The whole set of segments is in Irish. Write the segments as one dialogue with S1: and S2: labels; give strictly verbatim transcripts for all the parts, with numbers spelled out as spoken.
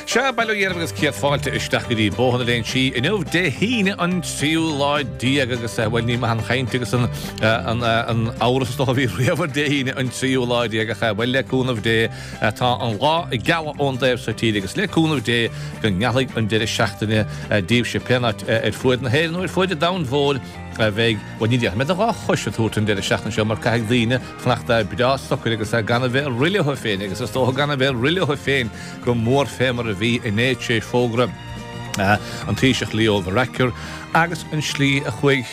S1: Sea, bail ó Dhia oraibh agus céad fáilte isteach go dtí Bóthar na Léinsí inniu Dé hAoine an tríú lá déag agus bhuel ní maith an chaint agus an an an amhras is dócha a bhí riamh ar Dé hAoine an tríú lá déag ach bhuel le cúnamh Dé tá an lá ag gealadh ón dtaobh seo tíre agus le cúnamh Dé go ngealfaidh an deireadh seachtaine daoibhse pé áit ar fuaid na hÉireann nó ar fuaid an domhain mhóir a bheidh, bhuel ní déarfaidh mé do dhá chois a thabhairt an deireadh seachtaine seo mar caithfidh daoine fanacht breá socair agus gan a bheith ag rith leo féin agus is dócha gan a bheith ag rith leo féin go mór fé mar a bhí inné tar éis fógra an Taoiseach Leo Varadkar agus an slí a chuaigh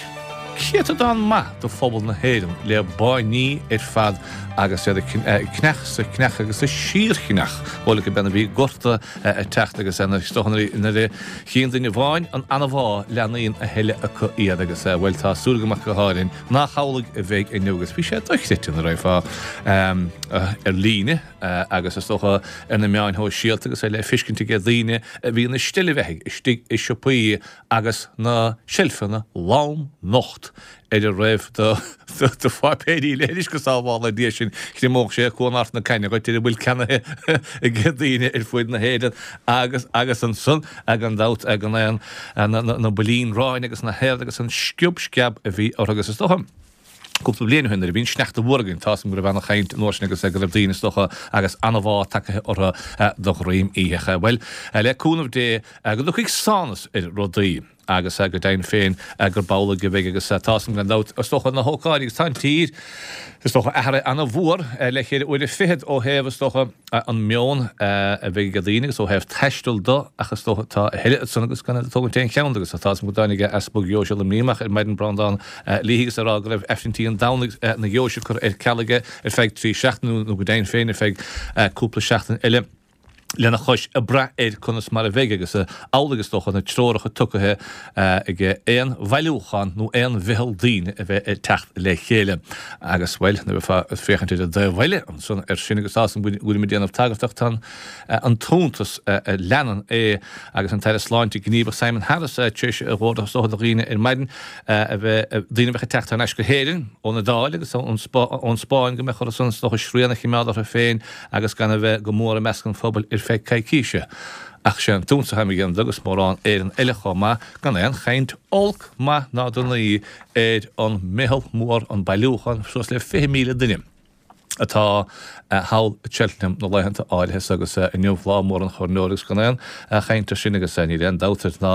S1: céatadán maith de phobal na hÉireann le báiní ar fad agus iad ag creach 's ag creach agus ag síorchreach. Bhuel, go beanna bhí gorta ag teacht agus is dócha nuair a chíonn duine amháin an anbhá leathnaíonn a thuilleadh acu iad agus bhuel tá súil agam ach go háirithe nach amhlaidh a bheidh inniu agus bhí sé dochreidte nuair a raghfá ar líne agus is dócha ar na meáin shóisialta agus é le feiscint aige daoine a bhí ina steillebheathaigh istigh i siopaí agus na seilfeanna lom nocht ar a raibh de pháipéirí leithris go sábhála Dia sinn, chriomódh sé Cuan Ard na Caithne dhuit ar a bhfuil ceannaithe ag daoine ar fuaid na hÉireann agus agus ansan gan dabht gan aon na builín aráin agus na haird agus an sciob sceab a bhí orthu agus is dócha cúpla bliain ó shin nuair a bhí an sneachta mhór againn tá's agam go raibh ana-chaint an uair sin agus go raibh daoine is dócha agus ana-bhá tagaithe orthu de dhroim oíche. Bhuel, le cúnamh Dé go dtiocfaidh sánas ar rudaí. Agus go deimhin féin gurb amhlaidh a bheidh agus tá's agam gan dabht, is dócha, na hócáidí agus tá an tír, is dócha, athraithe ana-mhór le ceithre uaire fichead ó thaobh, is dócha, an meon a bheidh ag daoine agus ó thaobh taistil do ach is dócha tá a thuilleadh ansan agus gan iad ag tógaint aon cheann de agus tá's agam go dtáinig Easpag Dheoise Luimnigh amach ar maidin Breandán Leahy agus a rá go raibh Aifrinntí an Domhnaigh na dheoise curtha ar ceal aige ar feadh trí seachtaine nó go deimhin féin ar feadh cúpla seachtain eile. lena chois ag brath ar conas mar a bheidh agus amhlaidh is dócha na treoracha tugtha aige aon bhailiúchán nó aon mheitheal daoine a bheith ag teacht le chéile agus, bhuel, nuair a bheifeá ag féachaint ar an dtaobh eile ansan air sin agus tá's agam go bhfuilim ag déanamh tagartha ach tá an t-iontas a leanann é agus an tAire Sláinte Gníomhach Simon Harris tar éis a dh'ordú is dócha do dhaoine ar maidin a bheith, daoine a bheadh ag teacht thar n-ais go hÉirinn ón Iodáil agus ón Spáinn go mbeadh orthu san is dócha srian a chimeád orthu féin agus gan a bheith go mór i measc an phobail ar feadh coicíse. Ach sé an t-iontas atá mé a dhéanamh de agus mórán Éireann eile chomh maith, gan aon chaint olc, maith ná donaí ar an meitheal mhór, an bailiúchán, suas le fiche míle duine atá thall i Cheltenham na laethanta áirithe so agus inniu lá mór an choirneora agus gan aon chaint air sin agus níl aon dabht air ná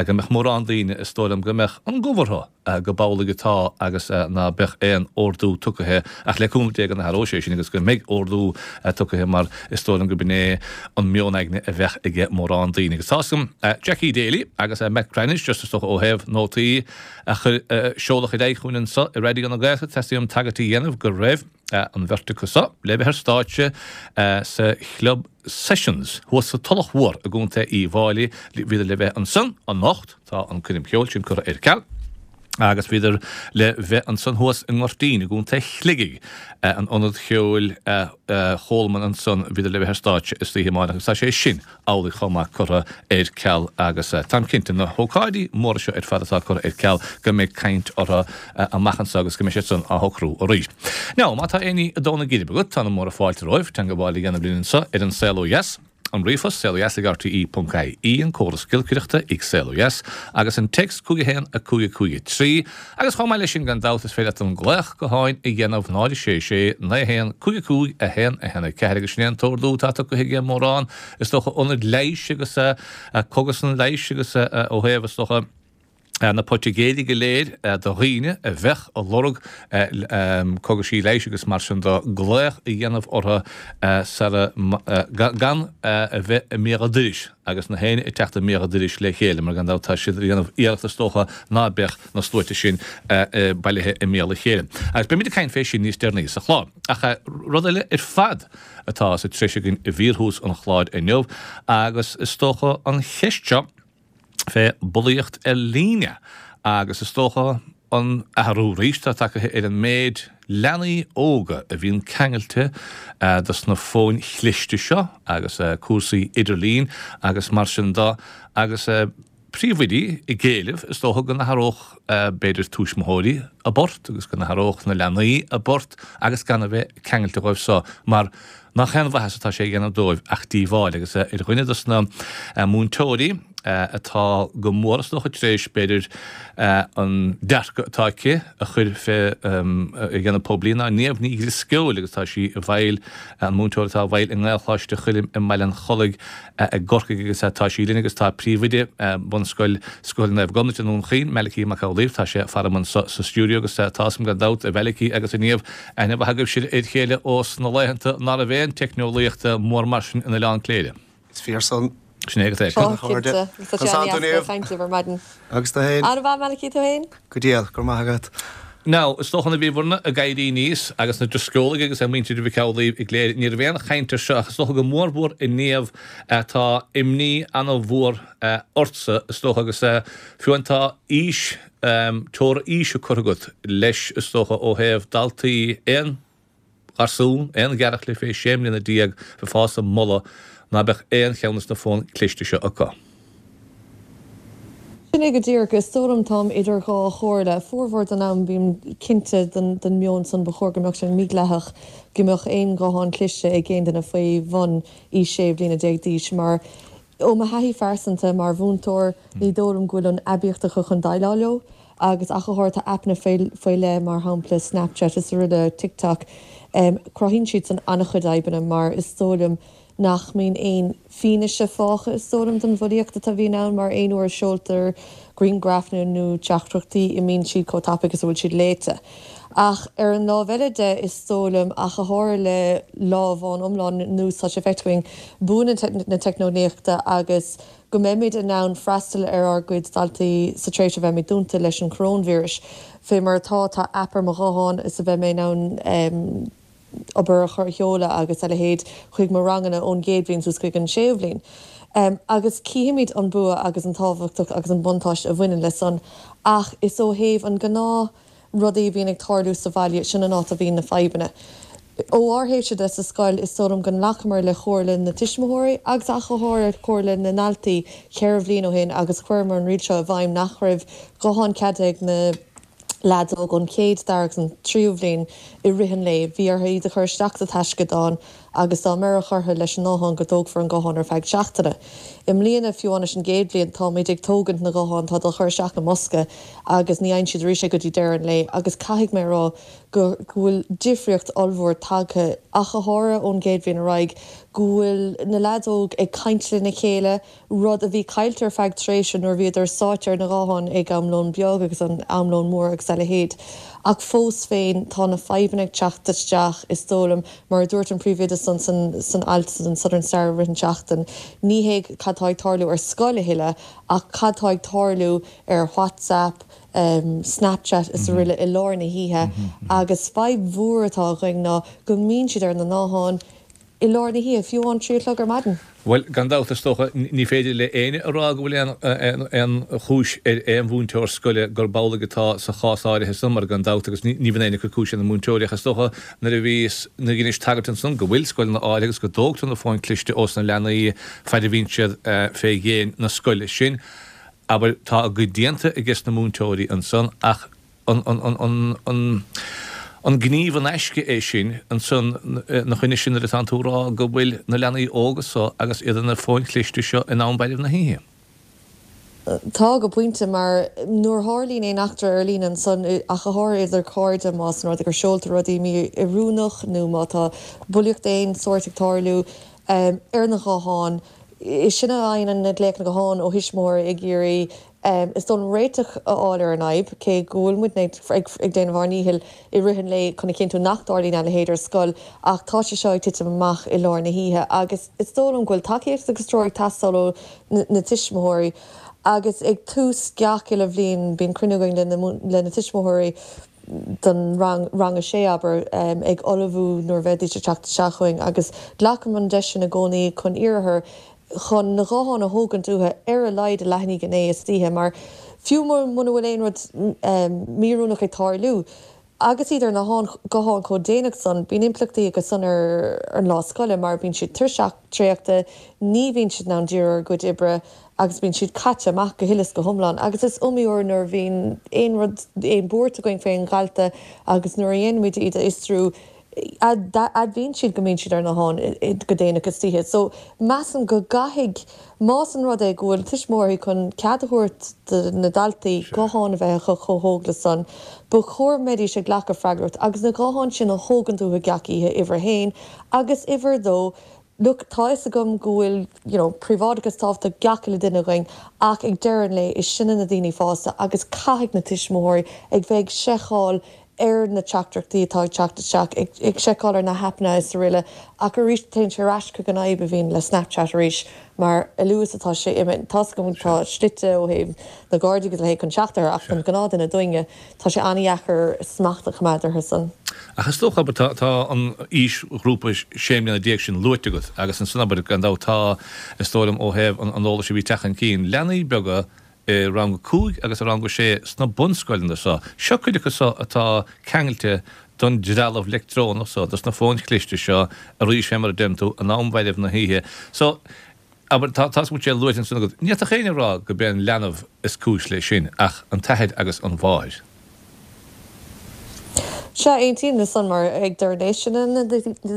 S1: go mbeadh mórán daoine, is dóigh liom go mbeadh an gomh orthu. go b'amhlaidh atá agus ná beadh aon ordú tugtha ach le cúnamh Dé go n-athróidh sé sin agus go mbeidh ordú tugtha mar is dóigh liom go b'in é an meon aigne a bheadh aige mórán daoine. Agus tá's agam Jackie Daly agus Matt Cranitch just is dócha ó thaobh nótaí a chuir seoladh ar aghaidh chugainn anseo i Raidió na Gaeltachta teastaíonn uaim tagairt a dhéanamh go raibh an bheirt acu so le bheith ar stáitse sa chlub Sessions thuas sa Tulach Mhór i gContae Uíbh Fháilí. Bhíodar le bheith ansan anocht, tá an coirm cheoil sin curtha ar ceal. Agus bhíodar le bheith ansan thuas i nGoirtín i gContae Shligigh, an Ionad Cheoil Cholman ansan, bhíodar le bheith ar stáitse istoíche amárach agus tá sé sin amhlaidh chomh maith curtha ar ceal agus táim cinnte na hócáidí móra seo ar fad atá curtha ar ceal go mbeidh caint orthu amach anso agus go mbeidh siad san á shocrú arís. Now, má tá aon ní ag dó na geirbe agat, tá na móra fáilte romhaibh teangabháil a dhéanamh linn anso ar An Saol Ó Dheas. An ríomhphost, saolodheas ag rte ponc ie, an córas giolcaireachta ag Saol Ó Dheas, agus an téacs cúig a haon a cúig a cúig a trí, agus chomh maith leis sin gan dabht is féidir leat an glaoch gutháin a dhéanamh náid a sé sé naoi a haon cúig a cúig a haon a haon a ceathair agus sin é an t-ordú atá tugtha aige mórán is dócha ionaid leighis agus cógaslanna leighis agus ó thaobh is dócha na poitigéirí go léir do dhaoine a bheadh ag lorg cogaisí leighis agus mar sin de glaoch a dhéanamh orthu sara gan a bheith i mbéal an dorais agus na héinne ag teacht i mbéal an dorais le chéile mar gan dabht tá siad ag déanamh iarracht is dócha ná beadh na sluaite sin bailithe i mbéal a chéile. Agus beimid ag caint fé sin níos deireanaí sa chlár. Ach rud eile ar fad atá sa treis againn i bhfíorthús an chláir inniu agus is dócha an cheist seo, fé bulaíocht ar líne agus is dócha an athrú arís atá tagtha ar an méid leanaí óga a bhíonn ceangailte dos na fóin chliste seo agus cúrsaí idirlín agus mar sin de agus príomhoidí ag éileamh, is dócha, go n-athródh b'fhéidir tuismitheoirí a bport agus go n-athródh na leanaí a bport agus gan a bheith ceangailte dhóibh so mar nach aon mhaitheas atá sé a dhéanamh dóibh ach díobháil. Agus ar dhuine dos na múinteoirí atá go mór is dócha tar éis b'fhéidir an dearcadh atá aici a chur fé a dhéanamh poiblí ná Niamh Ní Dhrisceoil agus tá sí i bhfeighil, an múinteoir atá i bhfeighil i nGaelcholáiste Choilm i mBaile an Chollaigh i gCorcaigh agus tá sí linn agus tá príomhoide Bunscoil Scoil Naomh Gobnait i nDún Chaoin, Malachy Mac Amhlaoibh, tá sé faram anso sa stiúideo agus tá 'fhios a'm gan dabht, a Mhalachy agus a Niamh, aithne mhaith agaibhse ar chéile ós na laethanta ná raibh aon teicneolaíocht mór mar sin in Oileán Cléire.
S2: Is fíor san.
S1: Sin é agat é.
S3: Ó, cinnte. Tá sé an-deas caint libh ar maidin.
S2: Agus tú féin?
S3: An-mhaith, Malachy, tú féin?
S2: Go diail, go raibh maith agat.
S1: Now, is dócha nuair a bhíobhairne ag éirí aníos agus na Drisceolaigh agus muintir Mhic Amhlaoibh i gCléire, ní raibh aon chaint air seo ach is dócha go mórmhór a Niamh tá imní ana-mhór ortsa is dócha agus fiú amháin tá aois, teora aoise curtha agat leis is dócha ó thaobh daltaí aon gharsún, aon ghearrchaile fé sé mbliana déag bheith fásta ag moladh ná beadh aon cheann de na fóin cliste seo acu.
S3: Sin é go díreach. Is dóigh liom táim idir dhá chomhairle. Formhór den am bím cinnte den meon san ba chóir go mbeadh sé mídhleathach go mbeadh aon ghuthán cliste ag aon duine faoi bhun aois sé bliana déag d'aois mar ó mo thaithí phearsanta mar mhúinteoir ní dóigh liom go bhfuil an aibíocht acu chun déileáil leo agus ach go háirithe tá aipeanna faoi leith mar shampla Snapchat is araile TikTok cruthaíonn siad san an-chuid fhadhbanna mar is dóigh liom nach mbíonn aon fianaise fágtha, is dóigh liom, don bhulaíocht atá bhíonn ann, mar aon uair a seoltar grianghraif nó teachtaireachtaí, imíonn siad chomh tapaidh is a bhfuil siad léite. Ach ar an lámh eile de, is dóigh liom, ach go háirithe le lá amháin iomlán anuas, tá sé feicthe againn bua na teicneolaíochta agus go mbeimid in ann freastal ar ár gcuid daltaí sa tréimhse a bheimid dúnta leis an choróinvíreas. Fé mar atá, tá aip ar mo ghuthán is a bheidh mé in ann obair a chur a sheoladh agus a leithéid chuig mo ranganna ón gcéad bhliain suas chuig an séú bhliain. Agus cífimid an bua agus an tábhachtacht agus an buntáiste a bhaineann le san ach is ó thaobh an gnáth rudaí a bhíonn ag tarlú sa bhaile, sin an áit a bhíonn na fadhbanna. Ó ár thaobhse de sa scoil is dóigh liom go nglacamar le comhairle na tuismitheoirí agus ach go háirithe comhairle na ndaltaí ceithre bhliain ó shin agus chuireamar an riail seo i bhfeidhm nach raibh gutháin ceadaithe ag na leaids óg ón chéad, dara agus an tríú bhliain i rith an lae. Bhí orthu iad a chur isteach sa taisceadán agus dá mbeireadh orthu leis an nguthán go dtógfar an guthán ar feadh seachtaine. I mbliana, fiú amháin leis an gcéad bhliain, táimid ag tógaint na nguthán, tá á chur isteach i mbosca agus ní fhaigheann siad arís é go dtí deireadh an lae agus caithfidh mé a rá go bhfuil difríocht ollmhór tagtha, ach go háirithe ón gcéad bhliain ar aghaidh, go bhfuil na leaids óg ag caint lena chéile, rud a bhí caillte ar feadh tréimhse nuair a bhíodar sáite ar na gutháin ag am lón beag agus an am lón mór agus a leithéid. Ach fós féin, tá na fadhbanna ag teacht isteach, is dóigh liom, mar a dúirt an príomhoide san san alt san Southern Star i rith an tseachtain, ní hé cad tá ag tarlú ar scoil a thuilleadh ach cad tá ag tarlú ar WhatsApp, Snapchat is araile i lár na hoíche agus fadhb mhór atá againn ná go mbíonn siad ar na gutháin i lár na hoíche, fiú amháin trí a chlog ar maidin.
S1: Bhuel, gan dabht, is dócha, ní féidir le éinne a rá go bhfuil aon aon chúis ar aon mhúinteoir scoile gurb amhlaidh atá sa chás áirithe san, mar gan dabht, agus ní bhíonn éinne ag cur cúis ar na múinteoirí, ach is dócha nuair a bhíos, nuair a dheinis tagairt ansan go bhfuil scoileanna áirithe agus go dtógtar na fóin cliste ós na leanaí faid a bhíonn siad fé dhéin na scoile sin, abair, tá a gcuid déanta ages na múinteoirí ansan ach an an gníomh in aisce é sin ansan 'na choinne sin nuair atánn tú a rá go bhfuil na leanaí óga so agus iad ar na fóin chliste seo in am mhairbh na hoíche?
S3: Tá, go pointe, mar nuair a tharlaíonn aon eachtra ar líne ansan, ach go háirithe idir cairde, más an rud é gur seoltar rudaí mí-oiriúnach nó má tá bulaíocht d'aon sórt ag tarlú ar na gutháin, is sinne a fhaigheann na glaochanna gutháin ó thuismitheoirí ag iarraidh is dóigh liom réiteach a fháil ar an fhadhb, cé go bhfuil muidne ag déanamh ár ndíchill i rith an lae chun a chinntiú nach dtarlaíonn a leithéid ar scoil ach tá sé seo ag titim amach i lár na hoíche agus is dóigh liom go bhfuil tacaíocht agus treoir ag teastáil ó na tuismitheoirí agus ag tús gach uile bhliain bíonn cruinniú againn le na tuismitheoirí don rang, rang a sé abair, ag ullmhú nuair a bheidís ag teacht isteach chugainn agus glacaim an deis sin i gcónaí chun iarraidh orthu chun na gutháin a thógaint uathu ar a laghad i leath i ndiaidh a naoi istoíche mar fiú muna bhfuil aon rud míoiriúnach ag tarlú, Agus iad ar na gutháin chomh déanach san, bíonn impleachtaí aige san ar an lá scoile mar bíonn siad tuirseach traochta, ní bhíonn siad in ann díriú ar a gcuid oibre agus bíonn siad caite amach go huile is go hiomlán. Agus is iomaí uair nuair a bhíonn aon rud, aon bhuairt againn faoin dhalta agus nuair a dhéanaimid iad a fhiosrú, admhaíonn siad go mbíonn siad ar na gutháin go déanach istoíche. So, measaim go gcaithfidh, más an rud é go bhfuil tuismitheoirí chun cead a thabhairt do na daltaí guthán a bheith acu chomh hóg le san, ba chóir go mbeidís ag glacadh freagracht agus na gutháin sin a thógaint uathu gach oíche, uimhir a haon, agus uimhir a dó, look, tá fhios agam go bhfuil, you know, príobháideachas tábhachtach gach uile duine againn ach ag deireadh an lae is sinne na daoine fásta agus caithfidh na tuismitheoirí ag bheith ag seiceáil ar na teachtaireachtaí atá ag teacht isteach, ag seiceáil ar na haipeanna is araile ach arís téann sé ar ais chuig an fhadhb a bhíonn le Snapchat arís mar a luaithe is atá sé imithe, tá's agam tá slite ó thaobh na Gardaí agus a leithéid chun teacht air ach don ghnáthduine dúinne tá sé an-dheacair smacht a choimeád orthu san.
S1: Ach is dócha, abair, tá an aoisghrúpa sé mbliana déag sin luaite agat agus ansan, abair, gan dabht tá, is dóigh liom ó thaobh an eolais a bhí ag teacht chun cinn, leanaí beaga i rang a cúig agus i rang a sé sna bunscoileanna so. Seo cuid acu so atá ceangailte don dtrealamh leictreonach so, dos na fóin chliste seo, arís fé mar a deireann tú, in am mhairbh na hoíche. So, abair, tá, tá sé luaite ansan agat, ní fhéadfadh éinne a rá go b'é an leanbh is cúis leis sin ach an t-athair agus an mháthair.
S3: Sea, aontaím leis san mar ag deireadh an lae sinne na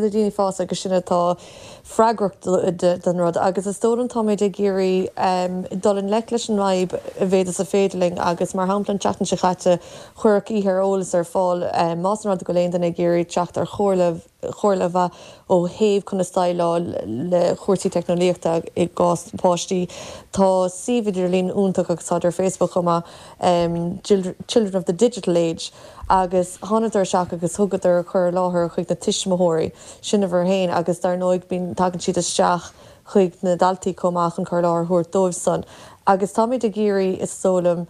S3: daoine fásta agus sinne atá freagrach don rud agus is dóigh liom táimid ag iarraidh dul i ngleic leis an bhfadhb a mhéad is a féidir linn agus mar shampla an tseachtain seo chaite cuireadh oíche ar eolas ar fáil más an rud go bhfuil aon duine ag iarraidh teacht ar chomhairle chomhairle mhaith ó thaobh conas déileáil le cúrsaí teicneolaíochta i gcás páistí. Tá suíomh idirlín iontach agus táid ar Facebook chomh maith, Children of the Digital Age, agus thánadar isteach agus thugadar cur i láthair chuig na tuismitheoirí, sin uimhir a haon, agus dar ndóigh bíonn, tagann siad isteach chuig na daltaí chomh maith chun cur i láthair a thabhairt dóibh san. Agus táimid ag iarraidh, is dóigh liom,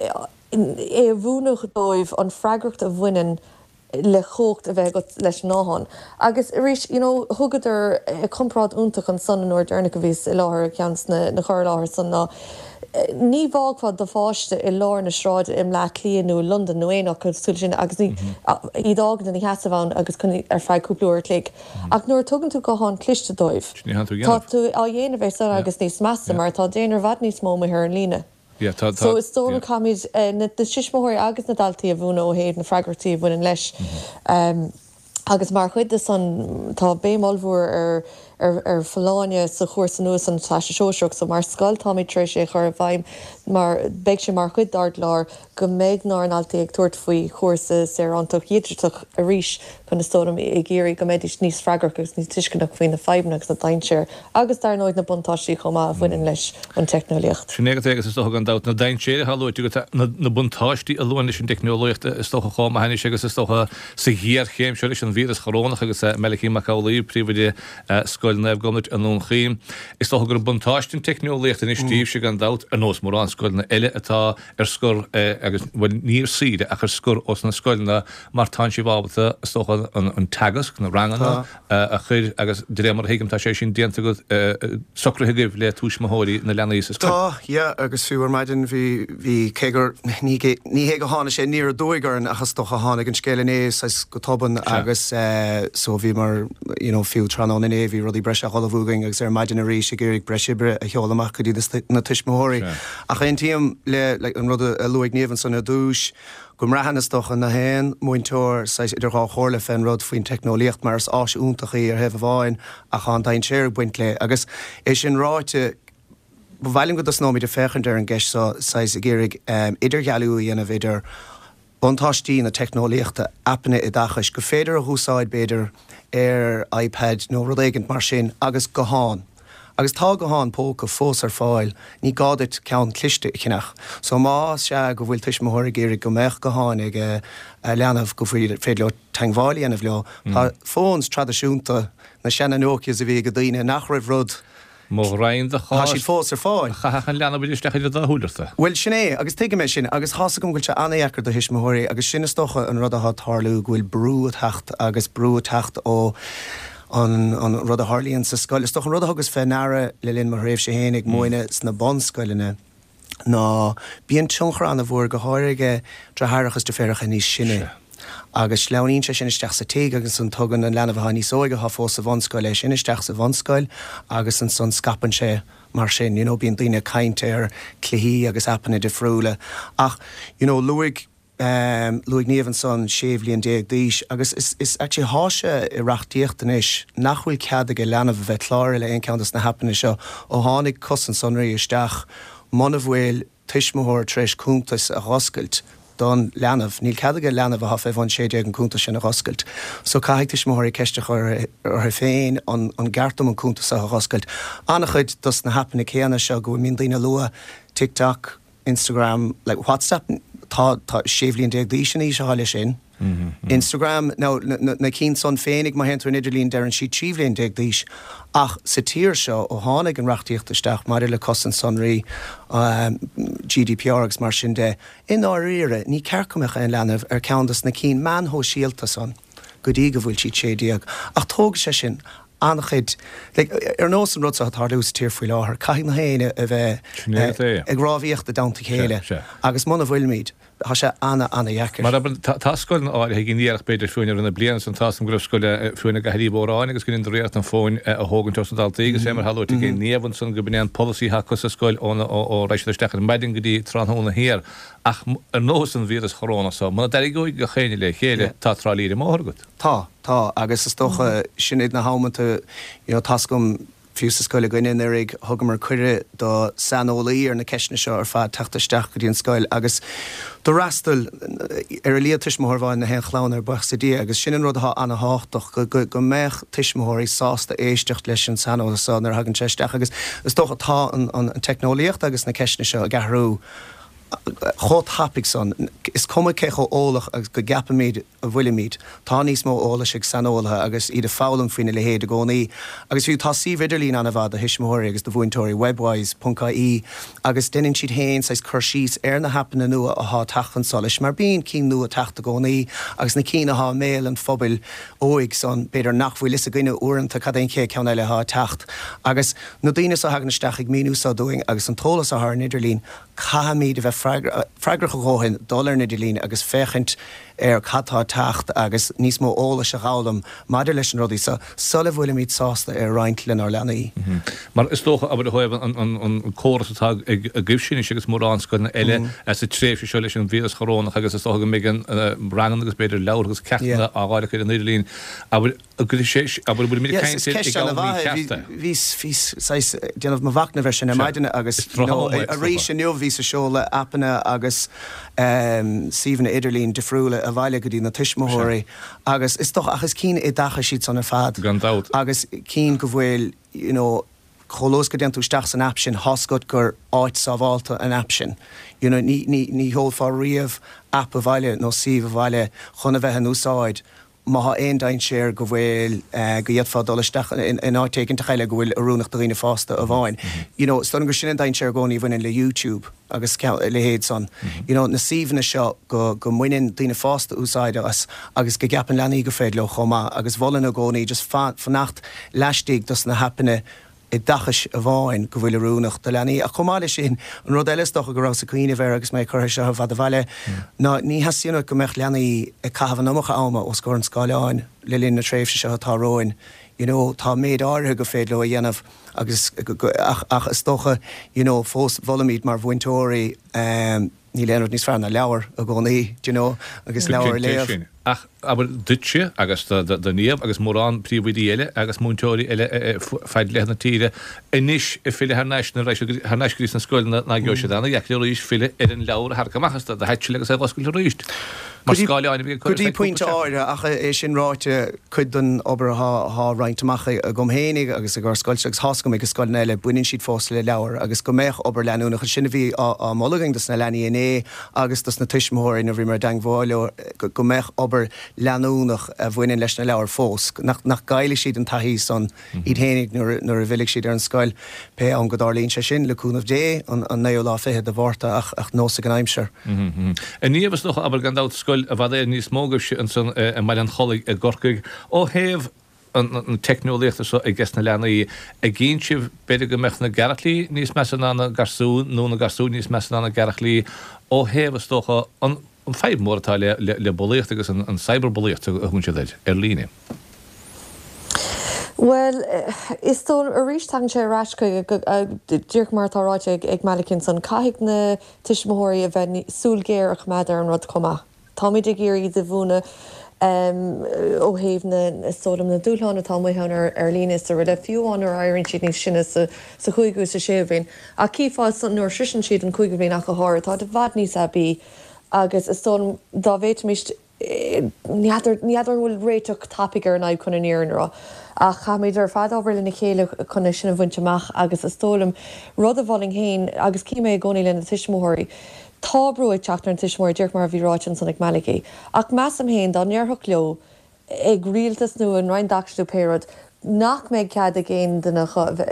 S3: é a mhúineadh dóibh an freagracht a bhaineann le cumhacht a bheith agat leis an nguthán. Agus arís, you know, thugadar comparáid iontach ansan an uair deireanach a bhíos i láthair ag ceann de na cur i láthair san ná ní bhfágfá do pháiste i lár na sráide i mBleá Cliath nó i Londain nó aon áit cosúil sin agus ní iad a fhágaint ina sheasamh ann agus chun ar feadh cúpla uair a chloig. Ach nuair a tugann tú guthán cliste dóibh, tá tú á dhéanamh é san agus níos measa mar tá daonra i bhfad níos mó amuigh ar an líne. So is dóigh liom caithfimid na tuismitheoirí agus na daltaí a mhúineadh ó thaobh na freagrachtaí a bhaineann leis. Agus mar chuid de san tá béim ollmhór ar ar ar folláine sa chúrsa nua san Teastas Sóisearach. So mar scoil táimid tar éis é a chur i bhfeidhm mar beidh sé mar chuid dár gclár go mbeidh ár ndaltaí ag tabhairt faoi chúrsa saorántacht dhigiteach arís chun is dóigh liom ag iarraidh go mbeidís níos freagrach agus níos tuisceanach faoi na fadhbanna agus na dainséir agus dar ndóigh na buntáistí chomh maith a bhaineann leis an teicneolaíocht.
S1: Sin é agat é agus is dócha gan dabht na dainséir atá luaite agat, na buntáistí a bhaineann leis an dteicneolaíocht is dócha chomh maith anois agus is dócha sa ghéarchéim seo leis an víreas chorónach agus Malachy Mac Amhlaoibh, Príomhoide Scoil Naomh Gobnait i nDún Chaoin. Is dócha gur buntáiste an teicneolaíocht anois daoibhse gan dabht, ar nós mórán scoileanna eile atá ar scor agus, bhuel, ní ar saoire ach ar scor ós na scoileanna mar tánn sibh ábalta, is dócha, an teagasc, na ranganna a chur agus de réir mar a thuigim tá sé sin déanta agat, socraithe agaibh le tuismitheoirí na leanaí sa scoil.
S2: Tá, yeah, agus fiú ar maidin bhí, bhí, cé gur, ní ní hé go tháinig sé aniar aduaidh orainn ach is dócha tháinig an scéal inné saghas go tobann agus eh so bhíomar, you know, fiú tráthnóna inné bhí rudaí breise á ullmhú againn agus ar maidin arís ag iarraidh breis oibre a sheoladh amach go dtí na tuismitheoirí. Ach aontaím le, like, an rud a luaigh Niamh ansan ar dtús, go mbraitheann is dócha gach aon múinteoir saghas idir dhá chomhairle fén rud faoin teicneolaíocht mar is áis iontach í ar thaobh amháin ach tá an dainséar ag baint léi. Agus é sin ráite, ba mhaith liom go dtosnóimid ag féachaint ar an gceist seo saghas ag iarraidh idirdhealú a dhéanamh idir buntáistí na teicneolaíochta, aipeanna oideachais, gur féidir a dh'úsáid b'fhéidir ar iPad nó rud éigint mar sin agus guthán. Agus tá gutháin póca fós ar fáil, ní gá duit ceann cliste a cheannach. So más ea go bhfuil tuismitheoir ag iarraidh go mbeadh gutháin ag a leanbh go féidir leo teangmháil a dhéanamh leo, tá phones traidisiúnta, na seana Nokias a bhí ag daoine nach raibh rud,
S1: Mo ghraidhin do
S2: Tá
S1: chás,
S2: siad fós ar fáil.
S1: chaithfeadh an leanbh isteach idir dá shúil ort.
S2: Bhuel, sin é, agus tuigim é sin, agus tá's agam go bhfuil sé an-dheacair do thuismitheoirí, agus sin is dócha an rud atá ag tarlú, go bhfuil brú ag teacht, agus brú ag teacht ó an an rud a tharlaíonn sa scoil. Is dócha an rud a thugas fé ndeara le linn mo thréimhse féin ag múineadh sna bunscoileanna ná bíonn tionchar an-mhór, go háirithe ag deartháireacha is deirfiúracha níos sine. Agus sleamhnaíonn sé sin isteach sa tigh agus ansan tugann an leanbh atá níos óige atá fós sa bhunscoil é sin isteach sa bhunscoil agus ansan scaipeann sé mar sin. You know, bíonn daoine ag caint ar cluichí agus aipeanna difriúla ach you know, luaigh um, luaigh Niamh ansan sé bhliain déag d'aois agus is, is actually thá sé i reachtaíocht anois nach bhfuil cead ag leanbh a bheith cláraithe le aon cheann des na haipeanna seo ó tháinig cosaint sonraí isteach muna bhfuil tuismitheoir tar éis cuntas a dh'oscailt don leanbh. Níl cead ag leanbh atá fé bhun sé déag an cuntas sin a dh'oscailt. So caithfidh tuismitheoirí ceist a chur orthu féin an, an gceart dom an cuntas seo a dh'oscailt. An-chuid dos na haipeanna céanna seo go mbíonn daoine ag lua TikTok, Instagram, like WhatsApp tá tá sé bhliain déag d'aois an aois atá leis sin. Instagram now na, na, na cinn san féinig má théann tú ar an idirlíon deireann siad trí bhliain déag d'aois ach sa tír seo ó tháinig an reachtaíocht isteach maidir le cosaint sonraí um, GDPR agus mar sin de i ndáiríre ní ceart go mbeadh aon leanbh ar ceann des na cinn meáin shóisialta san go dtí go bhfuil siad sé déag ach tóg sé sin an-chuid like, ar nós an rud seo atá sa tír faoi láthair caithfidh na héinne a bheith
S1: Sin é é.
S2: ag rámhaíocht i dteannta chéile
S1: Sea, sea.
S2: agus muna bhfuilimid tá sé ana ana-dheacair.
S1: Mar tá tá scoil áirithe gin iarach b'fhéidir fiúin ar na bliana san tá an gruf scoil fiúin go hairí bóráin agus gin réirt an fóin a thógann os na daltaí agus é mar halú gin níomhan san go bn policy acu sa scoil ó ó reis isteach ar maidin go dtí tráthnóna thiar ach ar nós an víreas choróna so muna dtarraingeoidh gach éinne le chéile tá trá líre mór agat.
S2: Tá tá agus is dócha sin iad na hamanta you know, tá's agam fiú sa scoil againne anuraidh thugamar cuireadh do saineolaí ar na ceisteanna seo ar fad teacht isteach go dtí an scoil agus d'fhreastail ar a laghad tuismitheoir amháin na haon chlann ar buíochas le Dia agus sin an rud atá an-tábhachtach go, go, go mbeadh tuismitheoirí sásta éisteacht leis an saineolas seo nuair a thagann sé isteach agus is dócha tá an, an, an teicneolaíocht agus na ceisteanna seo ag athrú chomh tapaidh san is cuma cé chomh eolach agus go gceapaimid a bhfuilimid tá níos mó eolais ag saineolaithe agus iad ag foghlaim faoina leithéid i gcónaí agus fiú tá suíomh idirlín an-mhaith do thuismitheoirí agus do mhúinteoirí webwise.ie agus déanann siad féin saghas cur síos ar na haipeanna nua atá ag teacht chun solais mar bíonn cinn nua ag teacht i gcónaí agus na cinn atá i mbéal an phobail óig san b'fhéidir nach bhfuil fhios againne uaireanta cad é an chéad ceann eile atá ag teacht agus na daoine seo a thagann isteach ag míniú seo dúinn agus an t-eolas atá ar an idirlíon caithfimid a bheith freagra- freagrach a dhóthain dul ar an idirlíon agus féachaint ar cad tá ag teacht agus níos mó eolais a fhoghlaim maidir leis an rudaí seo sula bhfuilimid sásta é a roinnt lenár leanaí.
S1: Mar is dócha abair a thaobh an, an, an córas atá ag agaibhse agus mórán scoileanna eile as a tréimhse seo leis an víreas chorónach agus is dócha go mbeidh an uh, ranganna agus b'fhéidir leabhar agus ceachtanna
S2: Yeah.
S1: á fháil ar an idirlíon abair go sé abair bhfuil mé
S2: Yes, is ceist an-mhaith bhí bhí saghas déanamh mo mhachnamh air sin ar maidin agus
S1: Is tráth
S2: you know,
S1: ama é, is
S2: arís
S1: dócha.
S2: inniu bhíos ag seoladh aipeanna agus um, suíomhanna idirlín difriúla abhaile go dtí na tuismitheoirí agus is dócha ach is cinn oideachais iad san ar fad
S1: Gan dabht.
S2: agus cinn go bhfuil you know, chomh luath go dtéann tú isteach san app sin tá's agat gur áit sábháilte an app sin. You know, ní, ní, ní sheolfá riamh app abhaile nó suíomh abhaile chun a bheith in úsáid má tá aon dainséar go bhfuil uh, go bhféadfá dul isteach in, in áit éigin eile go bhfuil oiriúnach do dhaoine fásta amháin. You know, is dóigh gur sin an dainséar i gcónaí a bhaineann le YouTube agus a leithéid san. You know, na suíomhanna seo go, go mbaineann daoine fásta úsáid as agus go gceapann leanaí gur féidir leo chomh maith agus mholfainn i gcónaí just fan, fanacht laistigh dos na haipeanna oideachais amháin go bhfuil oiriúnach do leanaí. Ach chomh maith leis sin an rud eile is dócha go raibh sa cuimhneamh air agus mé curtha seo fad abhaile ná ní theastaíonn go mbeadh leanaí ag caitheamh an iomarca ama os comhair an scáileáin le linn na tréimhse seo atá romhainn. You know, tá méid áirithe go féidir leo a dhéanamh agus go- ach, ach is dócha you know, fós molaimid mar mhúinteoirí um, níl aon rud níos fearr ná leabhar i gcónaí, you know, agus leabhar a léamh.
S1: Sin. Ach abair duitse agus do do Niamh agus mórán príomhoidí eile agus múinteoirí eile fad leathan na tíre anois ag filleadh thar n-ais na thar n-ais go dtí na scoileanna ná go siad an-deacair arís filleadh ar an leabhar thar amach do heitsil agus é oscailt arís. Mar scáileáin a
S2: Go dtí pointe áirithe ach é sin ráite cuid den obair atá roinnte amach agam féinig agus ag ár scoil agus tá's agam ag scoileanna eile baineann siad fós le leabhar agus go mbeadh obair leanúnach sin a bhí á moladh againn dos na leanaí inné agus dos na tuismitheoirí nuair a bhí mar dteagmháil leo go mbeadh obair leanúnach a bhaineann leis na leabhair fós nach nach gcaillfidh siad an taithí san iad féinig nuair nuair a bhfillfidh siad ar an scoil pé am go dtarlaíonn sé sin le cúnamh Dé an an naoú lá fiche de Mhárta ach ach nós ag an aimsir.
S1: A Niamh is dócha abair gan dabht scoil i bhfad éireann níos mó agaibhse ansan i mBaile an Chollaigh i gCorcaigh ó thaobh an an teicneolaíochta seo ag na leanaí ag gcinn sibh b'fhéidir go mbeadh na gearachlaí níos measa ná na garsún nó na garsún níos measa ná na gearachlaí ó thaobh is dócha an an fadhb mór atá le le bulaíocht agus an cyberbulaíocht a thugann siad air ar líne.
S3: Well, is dóigh arís tagann sé ar ais chuig díreach mar atá ráite ag ag Malachy ansan, caithfidh na tuismitheoirí a bheith súil ghéar a choimeád ar an rud chomh maith. Táimid ag iarraidh iad a mhúineadh ó thaobh na is dóigh liom na dúshláin atá amuigh ann ar ar líne is araile, fiú amháin nuair a éiríonn siad níos sine sa sa chúigiú is sa séú bhliain. Ach cífeá nuair a shroiseann siad an cúigiú bhliain ach go háirithe, tá i bhfad níos aibí agus is dóigh liom dá bhféadfaimis Ní fheadar an bhfuil réiteach tapaidh ar an fhadhb chun an fhírinne a rá, ach caithfimid ar fad obair lena chéile chun é sin a bhaint amach agus is dóigh liom, rud a mholfainn féin agus cím é i gcónaí le na tuismitheoirí, tá brú ag teacht ar na tuismitheoirí, díreach mar a bhí ráite ansan ag Malachy. Ach measaim féin dá ndéarfadh leo, ag rialtas nó an Roinn Oideachais nó pé rud, nach mbeidh cead ag aon duine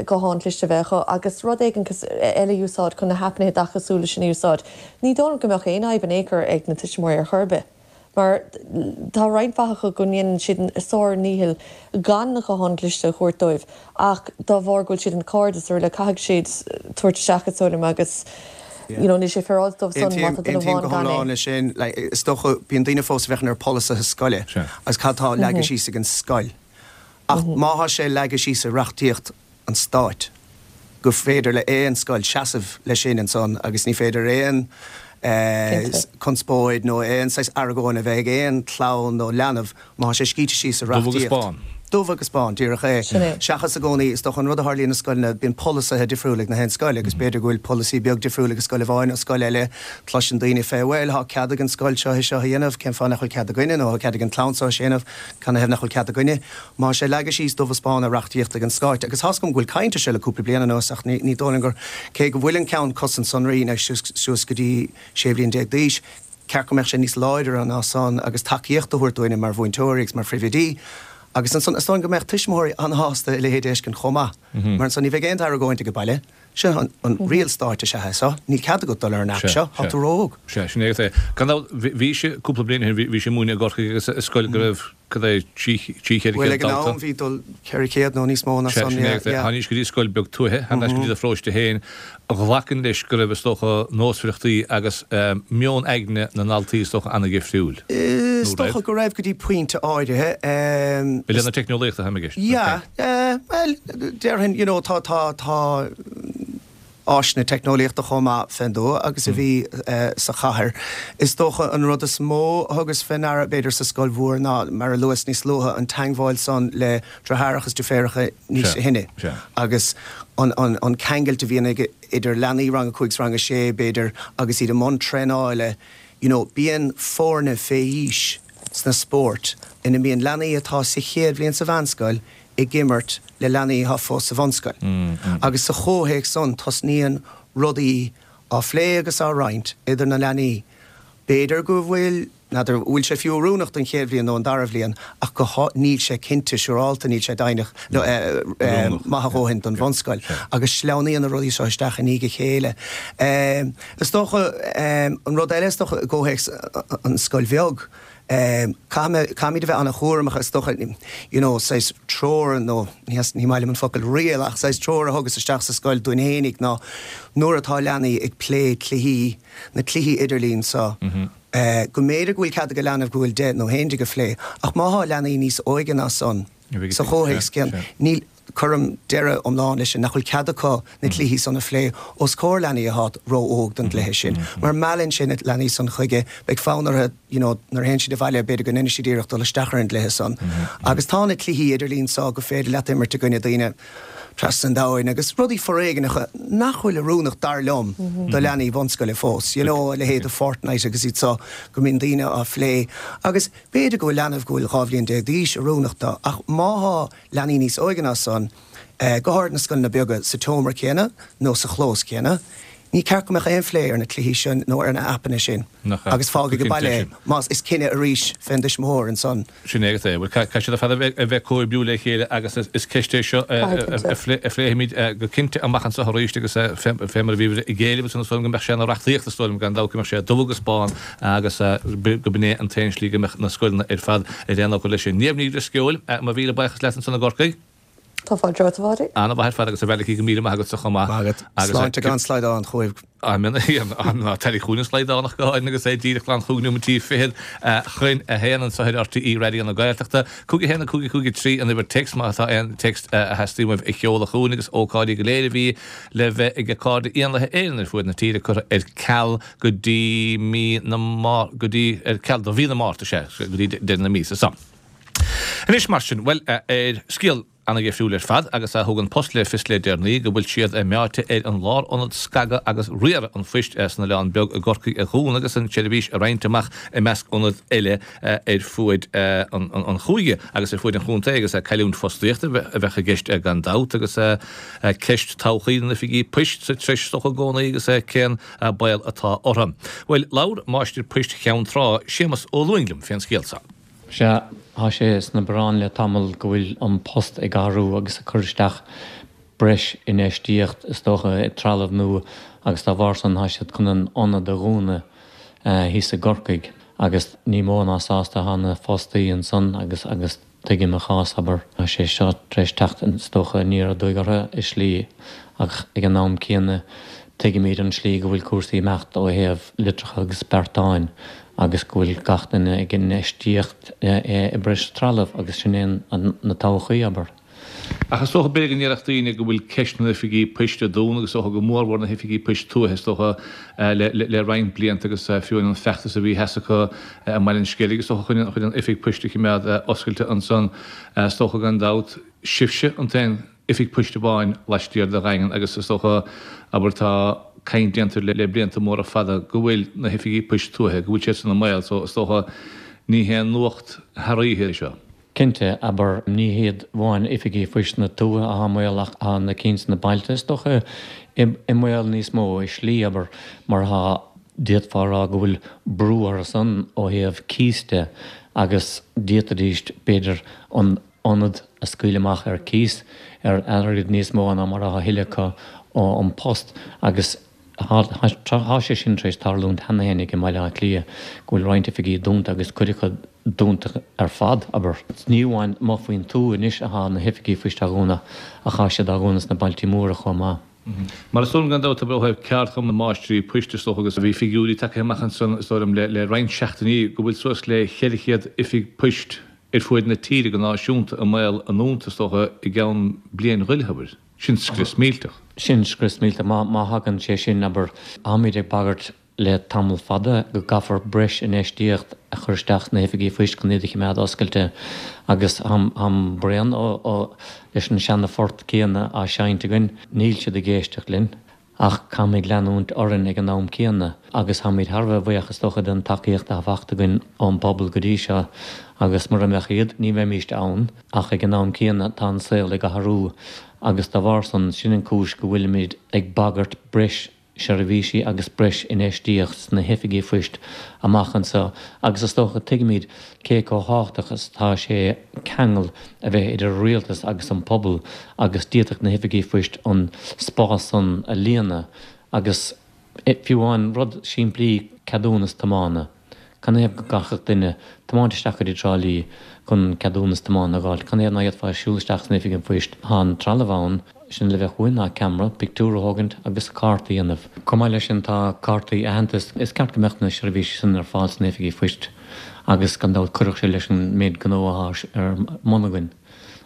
S3: guthán cliste a bheith acu agus rud éigin eile a úsáid chun na haipeanna oideachasúla sin a úsáid, ní dóigh liom go mbeadh aon fhadhb in aon chor ag na tuismitheoirí ar chor ar bith. Mar tá roinnt mhaith acu go ndéanann siad a sár-ndícheall gan na gutháin chliste a thabhairt dóibh ach dá bharr go bhfuil siad ina gcairde is araile caithfidh siad tabhairt isteach is dóigh liom agus you know níl sé féaráilte dóibh san má
S2: tá
S3: duine
S2: Aontaím
S3: amháin
S2: go
S3: gan é.
S2: hiomlán leis sin. Like, is dócha, bíonn daoine fós ag féachaint ar polasaithe scoile agus cad tá leagtha síos ag an scoil. Ach má thá sé leagtha síos i reachtaíocht an stáit gur féidir le aon scoil seasamh leis sin ansan agus ní féidir aon conspóid nó aon saghas argóint a bheith ag aon chlann nó leanbh má thá sé scríte síos sa
S1: Dubh agus
S2: reachtaíocht.
S1: bán.
S2: Dubh agus bán, díreach é.
S3: Sin é.
S2: Seachas i gcónaí, is dócha an rud a tharlaíonn i scoileanna, bíonn polasaithe difriúla ag na haon scoil agus b'fhéidir go bhfuil polasaí beag difriúil ag scoil amháin ó scoil eile. Cloiseann daoine fé, bhuel, thá cead ag an scoil seo é seo a dhéanamh, cén fáth nach bhfuil cead againne nó thá cead ag an chlann seo é seo a dhéanamh, canathaobh nach bhfuil cead againne? Má thá sé leagtha síos dubh is bán i reachtaíocht ag an stáit, agus thá's agam go bhfuil caint air seo le cúpla bliain anuas ach ní dóigh liom gur, cé go bhfuil an ceann cosaint sonraí anois suas go dtí sé bhliain déag d'aois, ceart go mbeadh sé níos láidre ná san agus tacaíocht a thabhairt dúinne mar mhúinteoirí agus mar phríomhoidí. Agus ansan is dóigh go mbeadh tuismitheoirí an-shásta a leithéid a fheiscint chomh maith, mar ansan ní bheidh aon argóint ag baile. Sin an, an riail stáit is ea é seo, níl cead agat dul ar an app seo, tá tú ró-óg.
S1: Sea, sin é é. Gan dabht, bhí sé cúpla bliain ó shin, bhí sé ag múineadh i gCorcaigh agus i scoil go raibh cad é trí trí cheithre
S2: Bhuel
S1: chéad
S2: ag an
S1: dalta.
S2: am bhí dul ceithre chéad nó níos mó ná
S1: Sea,
S2: san,
S1: sin é
S2: yeah,
S1: é.
S2: yeah.
S1: Tháinís go dtí scoil beag tuaithe, thar n-ais go dtí do pharóiste féin, a ghlacann leis go raibh is dócha nósmhaireachtaí agus meon aigne na ndaltaí is dócha an-dhifriúil.
S2: Is
S1: Nó
S2: dócha
S1: raibh?
S2: go raibh go dtí pointe áirithe.
S1: I leith na teicneolaíochta táim i gceist.
S2: Yeah, eh, bhuel, déarfainn, you know, tá, tá, tá áiseanna teicneolaíochta chomh maith fén dtuath agus a bhí sa chathair. Is dócha an rud is mó a thugas fé ndeara b'fhéidir sa scoil mhór ná, mar a luas níos luaithe, an teangmháil san le deartháireacha is deirfiúracha níos sine agus an, an, an ceangailt a bhíonn ag, idir leanaí rang a cúig is rang a sé b'fhéidir agus iad i mbun traenála, you know, bíonn foirne fé aois sna spóirt ina mbíonn leanaí atá sa chéad bhliain sa mheánscoil ag imirt le leanaí atá fós sa bhunscoil. Agus sa chomhthéacs san tosnaíonn rudaí á phlé agus á roinnt idir na leanaí. B'fhéidir go bhfuil, n'fheadar, bhfuil sé fiú oiriúnach don chéad bhliain nó an dara bhliain ach go há, níl sé cinnte, siúrálta, níl sé deimhneach nó maith a dhóthain don bhunscoil. Agus sleamhnaíonn na rudaí seo isteach i ndiaidh a chéile. Is dócha, an rud eile is dócha i gcomhthéacs an scoil bheag, Caithfidh, caithfimid a bheith an-chúramach, is dócha, you know, saghas treoir nó, ní, ní maith liom an focal riail, ach saghas treoir a thugas isteach sa scoil dúinn fhéinig ná nuair atá leanaí ag plé cluichí, na cluichí idirlín seo, go mb'fhéidir go bhfuil cead ag leanbh go bhfuil deich nó haon déag a phlé, ach má thá leanaí níos óige ná san sa chomhthéacs céanna, níl, Cuirim deireadh iomlán leis sin, nach bhfuil cead acu na cluichí san a phlé os comhair leanaí athá ró-óg don gcluiche sin, mar meallann sé na leanaí san chuige, beidh fonn orthu, you know, nuair a théann siad abhaile, b'fhéidir go ndéanfaidh siad iarracht dul isteach ar an gcluiche san. Agus tá na cluichí idirlín so go féidir leat imirt i gcoinne daoine trasna an domhain agus rudaí foréigneacha nach bhfuil oiriúnach, dar liom, do leanaí bunscoile fós, you know, a leithéid de Fortnite agus iad so, go mbíonn daoine á phlé. Agus b'fhéidir go bhfuil leanbh go bhfuil dhá bhliain déag d'aois oiriúnach dó, ach má thá leanaí níos óige ná san, go háirid na scoileanna beaga, sa tseomra céanna nó sa chlós céanna, ní ceart go mbeadh aon phlé ar na cluichí sin nó ar na aipeanna sin agus fág ag baile é, más is cinneadh arís fén dtuismitheoir ansan.
S1: Sin é agat é. Bhuel, caithfidh siad ar fad a bheith ag comhoibriú le chéile agus is ceist é seo a phléifimid go cinnte amach anseo arís agus fé mar a bhí ag éileamh ansan is dóigh liom go mbeadh sé ina reachtaíocht is dóigh liom gan dabht go mbeadh sé dubh agus bán agus go b'in é an t-aon slí go mbeadh na scoileanna ar fad ar aon fhocal leis sin. Niamh Ní Dhrisceoil, mo mhíle buíochas leat ansan i gCorcaigh.
S3: Tá fáilte romhat, a Pháidí.
S1: An-mhaith ar fad agus a Mhalachy go míle maith agatsa chomh maith.
S2: Maith agat. Sláinte gan slaghdán chugaibh.
S1: Ná teilí chugainn an slaghdán ach go háirithe agus é díreach glan chúig nóimeataí fichead chun a haon anseo ar RTÉ Raidió na Gaeltachta. Cúig a haon a cúig a cúig a trí an uimhir téacs má tá aon téacs a theastaíonn uaibh a sheoladh chugainn agus ócáidí go léir a bhí le bheith ag Cairde Éanlaithe Éireann ar fuaid na tíre curtha ar ceal go dtí mí na go dtí ar ceal do mhí na Márta sea go dtí deireadh na míosa seo. Anois mar sin, bhuel ar scéal ana-dheifriúil ar fad agus a thug An Post le fios le deireanaí go bhfuil siad meáite ar an lárionad scagadh agus riaradh an phoist san Oileán Beag i gCorcaigh a dhúnadh agus an tseirbhís a roinnt amach i measc ionad eile ar fuaid an chúige agus ar fuaid an chontae agus cailliúint fostaíochta a bheadh i gceist gan dabht agus ceist todhchaí na n-oifigí poist sa treis is dócha i gcónaí agus cén baol atá orthu. Bhuel, labhair máistir poist Cheann Trá, Séamus Ó Lúing liom fén scéal seo.
S4: Sea, tá sé sna bioráin le tamall go bhfuil An Post ag athrú agus ag cur isteach breis infheistíocht, is dócha, i dtrealamh nua agus dá bharr san tá siad chun an ionad a dhúnadh thíos i gCorcaigh agus ní mó ná sásta atá na fostaí ansan agus agus tuigim a chás, abair. Tá sé seo tar éis teacht, is dócha, aniar aduaidh orthu i slí ach ag an am céanna tuigimid an slí go bhfuil cúrsaí ag imeacht ó thaobh litreacha agus beartáin agus go bhfuil gach duine ag infheistíocht i breis trealamh agus sin é na todhchaí, abair.
S1: Ach is dócha, b'fhéidir go ndéarfadh daoine go bhfuil ceist na n-oifigí poist a dúnadh agus is dócha go mórmhór na hoifigí poist tuaithe, is dócha, le roinnt blianta agus fiú an feachtas a bhí theas acu i mBaile an Sceilg, is dócha, chun an oifig poist a choimeád oscailte ansan, is dócha gan dabht, sibhse an t-aon oifig poist amháin laistiar de Dhaingean agus is dócha, abair, tá caint déanta le blianta móra fada go bhfuil na hoifigí poist tuaithe, go bhfuil siad san i mbaol so is dócha ní haon nuacht thar oíche é seo.
S4: Cinnte, abair, ní hiad amháin oifigí phoist na tuaithe atá i mbaol ach tá na cinn sna bailte is dócha i mbaol níos mó i slí, abair, mar tá, d'fhéadfá a rá go bhfuil brú orthu san ó thaobh cíos de agus d'fhéadfaidís, b'fhéidir, an ionad a scaoileadh amach ar cíos ar airgead níos mó ná mar atá á thuilleadh acu ó An Post agus tá sé sin tar éis tarlúint cheana fhéinig i mBaile Átha Cliath go bhfuil roinnt oifigí dúnta agus cuid acu dúnta ar fad, abair. Ní amháin amuigh faoin tuath anois atá na hoifigí phoist á dhúnadh ach tá siad á dhúnadh sna bailtí móra chomh maith.
S1: Mar is dóigh liom gan dabht, abair, ó thaobh ceardchumann na máistrí poist is dócha agus bhí figiúirí tagtha amach ansan is dóigh liom le roinnt seachtainí go bhfuil suas le cheithre chéad oifig poist ar fuaid na tíre go náisiúnta i mbaol a ndúnta, is dócha, i gceann bliain ghoilithe, abair. Sin scrios millteach.
S4: Sin scrios millteach. Má, má thagann sé sin, abair, táimid ag bagairt le tamall fada go gcaithfear breis infheistíocht a chur isteach sna hoifigí phoist chun iad a choimeád oscailte agus táim, táim bréan ó, ó, leis an seana phort céanna á seinnt againn. Níl siad ag éisteacht linn. Ach caithfimid leanúint orainn ag an am céanna agus táimid thar a bheith buíoch is dócha den tacaíocht atá faighte againn ón bpobal go dtí seo agus mura mbeadh iad ní bheimíst ann ach ag an am céanna tá an saol ag athrú agus dá bharr san sin an cúis go bhfuilimid ag bagairt breis seirbhísí agus breis infheistíocht sna hoifigí phoist amach anseo agus is dócha tuigimid cé chomh tábhachtach is atá sé ceangal a bheith idir an rialtas agus an pobal agus d'fhéadfadh na hoifigí phoist an spás san a líonadh agus fiú amháin rud simplí ceadúnas tiomána. Canathaobh go gcaithfeadh duine tiomáint isteach go dtí Trá Lí chun ceadúnas tiomána a dh'fháilt? Canathaobh ná fhéadfá siúl isteach san oifig an phoist? Tá an trealamh ann, sin le bheadh uainn ná ceamara, pictiúr a thógaint agus cárta a dhéanamh. Chomh maith leis sin tá cártaí aitheantais. Is ceart go mbeadh na seirbhísí sin ar fáil sna hoifigí phoist agus gan dabht cuirfeadh sé leis an méid gnó atá ar bun againn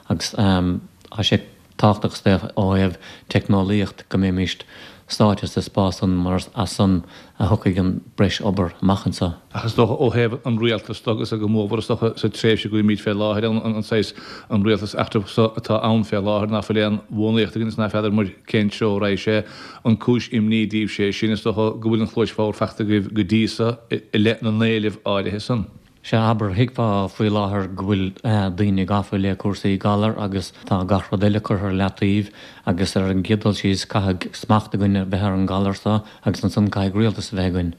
S4: agus tá sé tábhachtach is dócha ó thaobh teicneolaíocht go mbeimíst sáite sa spás san mar is as san a thiocfaidh an breis obair amach anseo.
S1: Ach is dócha ó thaobh an rialtais de agus go mórmhór is dócha sa tréimhse go bhfuilimid fé láthair ann, an saghas an rialtas eachtrach so atá ann fé láthair ná fuil aon bhuanaíocht againn is ná feadar muid cén treo a raghaidh sé, an cúis imní daoibhse é sin is dócha go bhfuil an chluais bhodhar fachta agaibh go dtí so i leith na n-éileamh áirithe san.
S4: Sea, abair, thuigfeá faoi láthair go bhfuil daoine gafa le cúrsaí galar agus tá gach rud eile curtha ar leataobh agus ar an gcéad dul síos caithfidh smacht againn a bheith ar an galar seo agus ansan caithfidh rialtas a bheith againn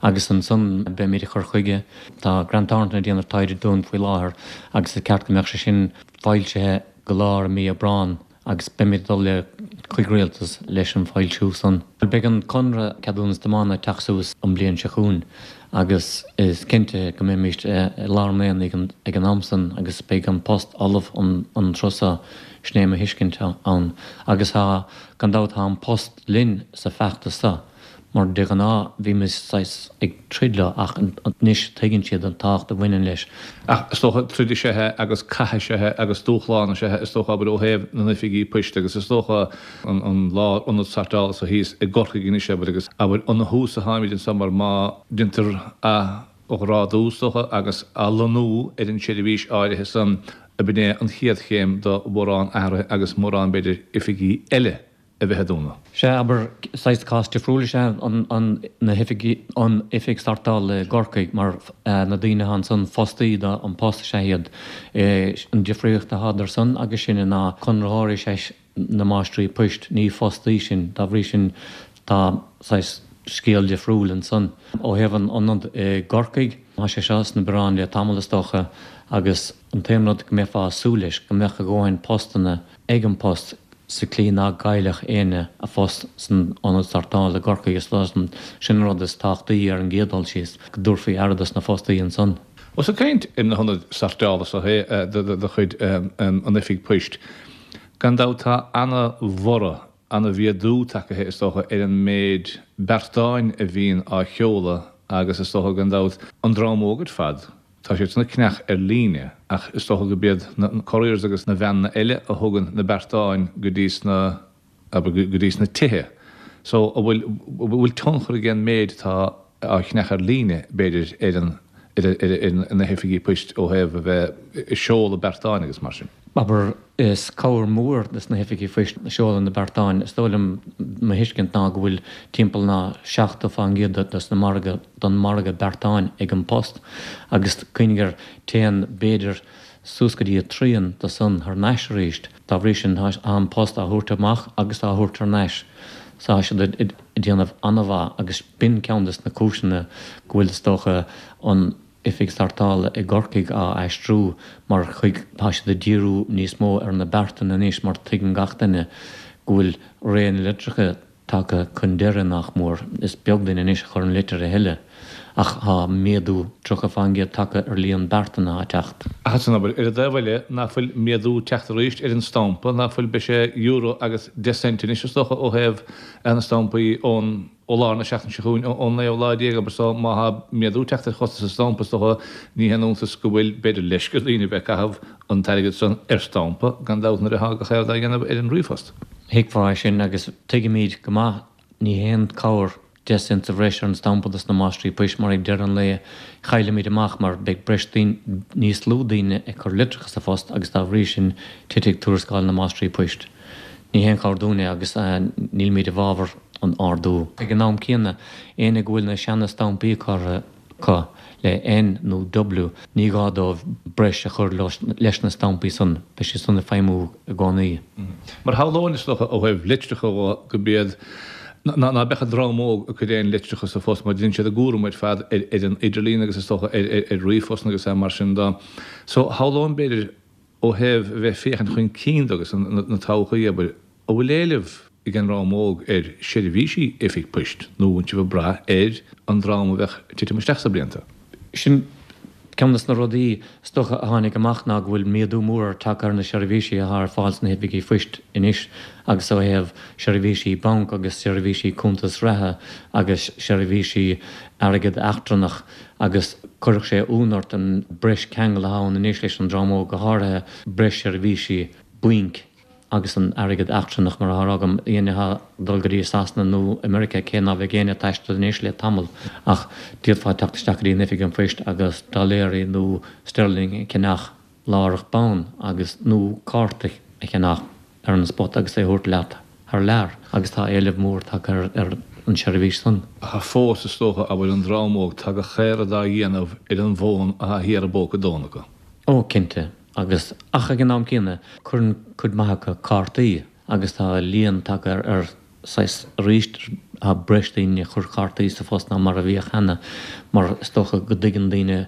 S4: agus ansan beimid ag cur chuige. Tá Grant Thornton ag déanamh taighde dúinn faoi láthair agus is ceart go mbeadh sé sin foilsithe go lár mí Aibreán. agus beimid ag dul le chuig rialtas leis an foilsiú san. Beidh an conradh ceadúnas tiomána ag teacht suas an bliain seo chugainn Agus is cinnte go mbeimid i lár an aonaigh ag an am san agus beidh An Post ullamh an tráth so, sin é mo thuiscint ann. Agus tá, gan dabht, tá An Post linn sa feachtas so, mar de ghnáth bhímis saghas ag troid leo ach anois tuigeann siad an tábhacht a bhaineann leis.
S1: Ach is dócha troid is ea é agus cath is ea é agus dúshlán is ea é is dócha, abair, ó thaobh na n-oifigí poist agus is dócha an lárionad sortála so thíos i gCorcaigh anois, abair, agus abair ón thús a tháimid anso mar má deintear athghrádú is dócha agus athlonnú ar an tseirbhís áirithe san ab in é an chéad chéim do mhórán athruithe agus mórán b'fhéidir oifigí eile a bheith ag dúnadh.
S4: Sea, abair, saghas cás difriúil is ea an, na hoifigí, an oifig sortála i gCorcaigh mar na daoine atá ansan, fostaí do An Post is ea iad. An difríocht atá idir san agus sinne ná conraitheoirí is ea na máistrí poist, ní fostaí sinn. Dá bhrí sin tá saghas scéal difriúil ansan. Ó thaobh an ionad i gCorcaigh, tá sé seo sna bioráin le tamall is dócha agus an t-aon rud go mbeifeá ag súil leis, go mbeadh a dhóthain postanna ag An Post sa tslí ná gcaillfeadh éinne a phost san ionad sortála i gCorcaigh. Is dóigh sin an rud is tábhachtaí ar an gcéad dul síos, go dtabharfaí aire dos na fostaí ansan.
S1: Ós ag caint ar na hionaid sortála so de chuid an Oifig Poist, gan dabht tá ana-bhorradh, ana-mhéadú tagaithe is dócha ar an méid beartáin a bhíonn á sheoladh agus is dócha gan dabht an dream óg ar fad, Tá siad san ag ceannach ar líne ach is dócha go b'iad na couriers agus na veaineanna eile a thugann na beartáin go dtí sna, abair, go dtí sna tithe. So, an bhfuil, an bhfuil tionchar ag an méid atá á cheannach ar líne, b'fhéidir, ar an, ar, ar, ar na hoifigí poist ó thaobh a bheith ag seoladh beartáin agus mar sin?
S4: Abair, is cabhair mhór dos na hoifigí poist seoladh na beartáin. Is dóigh liom, mo thuiscint ná go bhfuil timpeall ná seachtó fán gcéad dos na margadh, don margadh beartáin ag An Post agus cuimhnigh air, téann b'fhéidir suas go dtí a trian de san thar n-ais arís. Dá bhrí sin tá An Post á thabhairt amach agus á thabhairt thar n-ais. So tá siad ag déanamh an-mhaith agus b'in ceann des na cúiseanna go bhfuil is dócha an oifig sortála i gCorcaigh á aistriú mar chuig tá siad ag díriú níos mó ar na beartáin anois mar tuigeann gach duine go bhfuil ré na litreacha tagtha chun deiridh nach mór. Is beag duine anois a chuireann litir a thuilleadh ach tá méadú tríocha fán gcéad tagtha ar líon beartán atá ag teacht.
S1: Ach ansan abair, ar an dtaobh eile, ná fuil méadú teacht arís ar an stampa, ná fuil, beidh sé euro agus deich cent anois is dócha ó thaobh na stampaí ón. ó lár na seachtaine seo chugainn, ón naoú lá déag, abair, so má thá méadú teacht ar chostas an stampa, is dócha, ní haon iontas go bhfuil, b'fhéidir, leisce ar dhaoine bheith ag caitheamh an t-airgead san ar stampa, gan dabht, nuair athá gach aon rud á dhéanamh ar an ríomhphost.
S4: Thuigfeá é sin agus tuigimid go maith, ní haon cabhair deich cent sa bhreis ar an stampa dos na máistrí poist mar ag deireadh an lae chaillfimid amach mar beidh breis daoine, níos lú daoine ag cur litreacha sa phost agus dá bhrí sin titfidh tuarascáil na máistrí poist. Ní haon chabhair dúinn é agus nílimid i bhfabhar an ardú. Ag an am céanna, éinne go bhfuil na seana-stampaí curtha acu le N nó W, ní gá dóibh breis a chur leis na stampaí san, beidh siad san ag feidhmiú i gcónaí.
S1: Mar shamhlóinn, is dócha, ó thaobh litreacha dhó, go b'iad, ná ná beadh an dream óg ag cur aon litreacha sa phost mar déanann siad a gcúram ar fad ar ar an idirlíon agus is dócha ar ar ríomhphost agus mar sin dó. So, shamhlóinn, b'fhéidir, ó thaobh a bheith féachaint chun cinn dó agus na todhchaí, abair, an bhfuil éileamh ag an dream óg ar sheirbhísí oifig poist nó an bhfuil sibh ag brath ar an dream a bheadh ag titim isteach sna blianta?
S4: Sin ceann de na rudaí is dócha a tháinig amach ná go bhfuil méadú mór tagtha ar na seirbhísí atá ar fáil sna hoifigí phoist anois agus ó thaobh seirbhísí banc agus seirbhísí cuntas reatha agus seirbhísí airgead eachtrannach agus chuirfeadh sé ionadh ort an breis ceangal atá ann anois leis an dream óg, go háirithe breis seirbhísí bainc agus an airgead eachtrannach mar atá á rá agam, éinne atá ag dul go dtí Sasana nó America, cé ná bheadh éinne ag taisteal anois le tamall ach d'fhéadfá teacht isteach go dtí an oifig an phoist agus dolléirí nó sterling a cheannach láithreach bonn agus nó cárta a cheannach ar an spot agus é a thabhairt leat thar lear agus tá éileamh mór tagtha ar an seirbhís san.
S1: Ach fós is dócha, abair, an dream óg, tá gach aon rud á dhéanamh ar an bhfón atá thiar i bpóca donn acu.
S4: Ó, cinnte, agus, ach ag an am céanna, cuireann cuid maith acu cártaí agus tá líon tagtha ar saghas arís, tá breis daoine ag cur cártaí sa phost ná mar a bhíodh cheana mar is dócha go dtuigeann daoine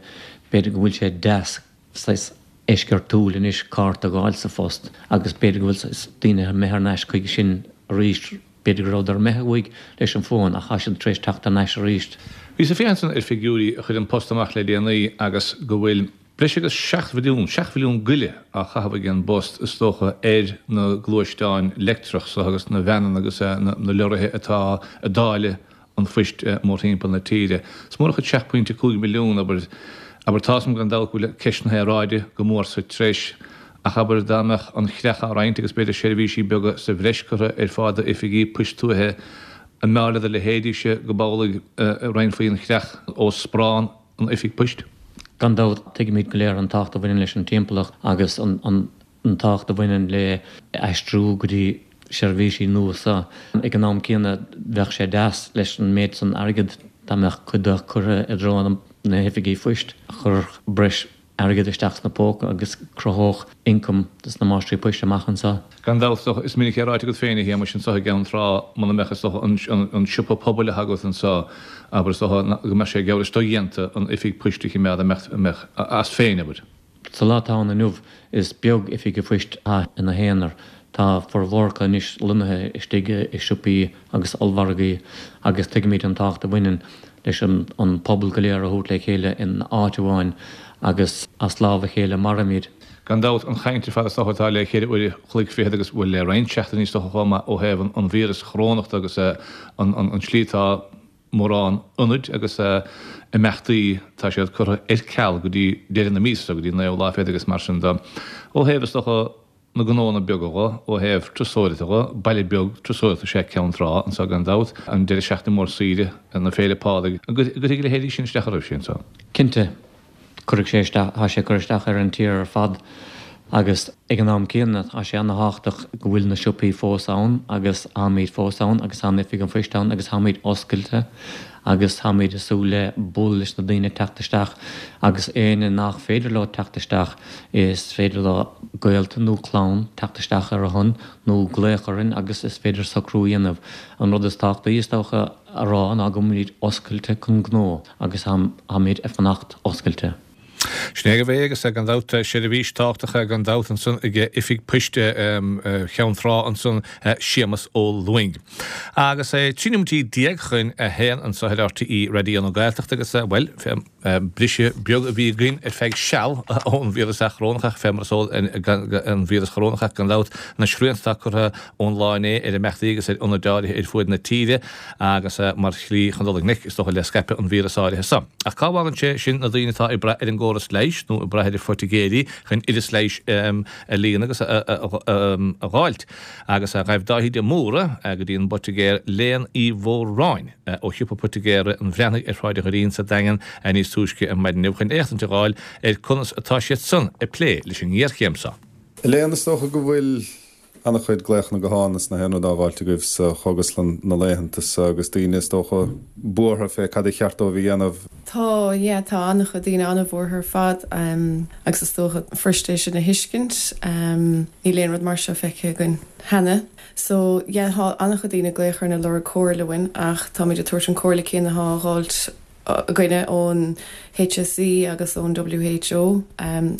S4: b'fhéidir go bhfuil sé deas saghas eisceachtúil anois cárta a fháil sa phost agus b'fhéidir go bhfuil saghas daoine imithe thar n-ais chuige sin arís B'fhéidir go rabhadar imithe uaidh leis an bhfón ach tá siad tar éis teacht thar n-ais arís.
S1: Bhíos ag féachaint ar figiúirí a chuir An Post amach le déanaí agus go bhfuil breis agus seacht mhilliún, seacht mhilliún go leith á chaitheamh ag an bPost is dócha ar na gluaisteáin leictreach so agus na veaineanna agus na leoraithe atá ag dáileadh an phoist mórthimpeall na tíre. Is mór an chuid seacht pointe cúig milliún, abair, abair tá 'fhios a'm gan dabht go bhfuil ceist na haeráide go mór sa treis ach abair dá mbeadh an chreach á roinnt agus b'fhéidir seirbhísí beaga sa bhreis curtha ar fáil d'oifigí poist tuaithe, an mb'fhearr le do leithéidíse go b'amhlaidh a roinnfí an chreach ó sparán an oifig poist?
S4: Gan dabht, tuigimid go léir an tábhacht a bhaineann leis an timpeallacht agus an an tábhacht a bhaineann le aistriú go dtí seirbhísí nua so. Ag an am céanna, bheadh sé deas leis an méid san airgead dá mbeadh cuid de curtha i dtreo na hoifigí phoist, chuirfeadh breis airgead isteach sna póca agus cruthódh ioncam dos na máistrí poist amach anseo.
S1: Gan dabht, is dócha, is minic é ráite agat féin, a Shéamais, anseo i gCeann Trá, muna mbeadh, is dócha, an siopa pobail atá agat anseo, abair, is dócha, go mbeadh sé geall leis dodhéanta an oifig poist a choimeád, a mbeadh, a mbeadh as féin, abair.
S4: Sa lá atá ann inniu, is beag oifig an phoist atá ina haonar. Tá formhór acu anois lonnaithe istigh i siopaí agus ollmhargaí agus tuigimid an tábhacht a bhaineann leis an pobal go léir a thabhairt le chéile in áit amháin agus as lámh a chéile mairimid.
S1: Gan dabht, an chaint ar fad is dócha atá le ceithre uair a chloig fichead agus, bhuel, le roinnt seachtainí is dócha chomh maith ó thaobh an víreas chorónach de agus an tslí atá mórán ionaid agus imeachtaí, tá siad curtha ar ceal go dtí deireadh na míosa, go dtí an naoú lá fichead agus mar sin de. Ó thaobh, is dócha, na ngnóanna beaga dhe, ó thaobh turasóireachta dhe, baile beag turasóireachta is ea Ceann Trá anseo gan dabht, an deireadh seachtaine mór saoire, na Féile Pádraig, an gcuirfidh a leithéidí sin isteach oraibhse anseo?
S4: Cinnte, cuirfidh sé isteach, tá sé ag cur isteach ar an tír ar fad agus ag an am céanna tá sé ana-thábhachtach go bhfuil na siopaí fós ann agus táimid fós ann agus tá an Oifig an Phoist ann agus táimid oscailte agus táimid ag súil le bualadh leis na daoine teacht isteach agus éinne nach féidir leo teacht isteach is féidir leo gaolta nó clann teacht isteach ar a shon nó glaoch orainn agus is féidir socrú a dhéanamh. An rud is tábhachtaí is dócha a rá ná go bhfuilimid oscailte chun gnó agus táimid ag fanacht oscailte.
S1: Sin é agaibh é agus gan dabht seirbhís tábhachtach gan dabht ansan ag Oifig Poist Cheann Trá ansan Séamus Ó Lúing. Agus é trí nóiméidí déag chun a haon anso ar RTÉ Raidió na Gaeltachta agus bhuel briseadh beag a bhí againn ar feadh seal ón víreas chorónach ach fé mar is eol an víreas chorónach ach gan dabht na srianta atá curtha ón lá inné ar imeachtaí agus ar ionaid áirithe ar fuaid na tíre agus mar shlí chun dul i ngleic is dócha le scaipeadh an víreas áirithe so. Ach cá bhfágann sé sin na daoine atá ag brath ar an gcóras leighis nó ag brath ar phoitigéirí chun oideas leighis a líonadh agus a dh'fháilt? Agus ghaibh Dáithí de Mórdha go dtí an bpoitigéir Léan Uí Mhóráin ó shiopa poitigéara an Bhreathnaigh ar Shráid an Dhoirín sa Daingean níos túisce ar maidin inniu chun éachtaint a dh'fháil ar conas atá siad san ag plé leis an ngéarchéim so.
S5: Léan, is dócha go bhfuil An-chuid glaochanna gutháin is na haon rud á dh'fháilt agaibh sa chógaslann na laethanta so agus daoine is dócha buartha fé cad a cheart dóibh a dhéanamh.
S6: Tá, yeah, tá an-chuid daoine an-bhuartha ar fad agus is dócha fuirist é sin a thuiscint. Níl aon rud mar seo feicthe againn cheana. So, yeah, tá an-chuid daoine ag glaoch orainn ag lorg comhairle uainn ach táimid ag tabhairt an comhairle céanna atá á dh'fháilt againne ón HSE agus ón WHO,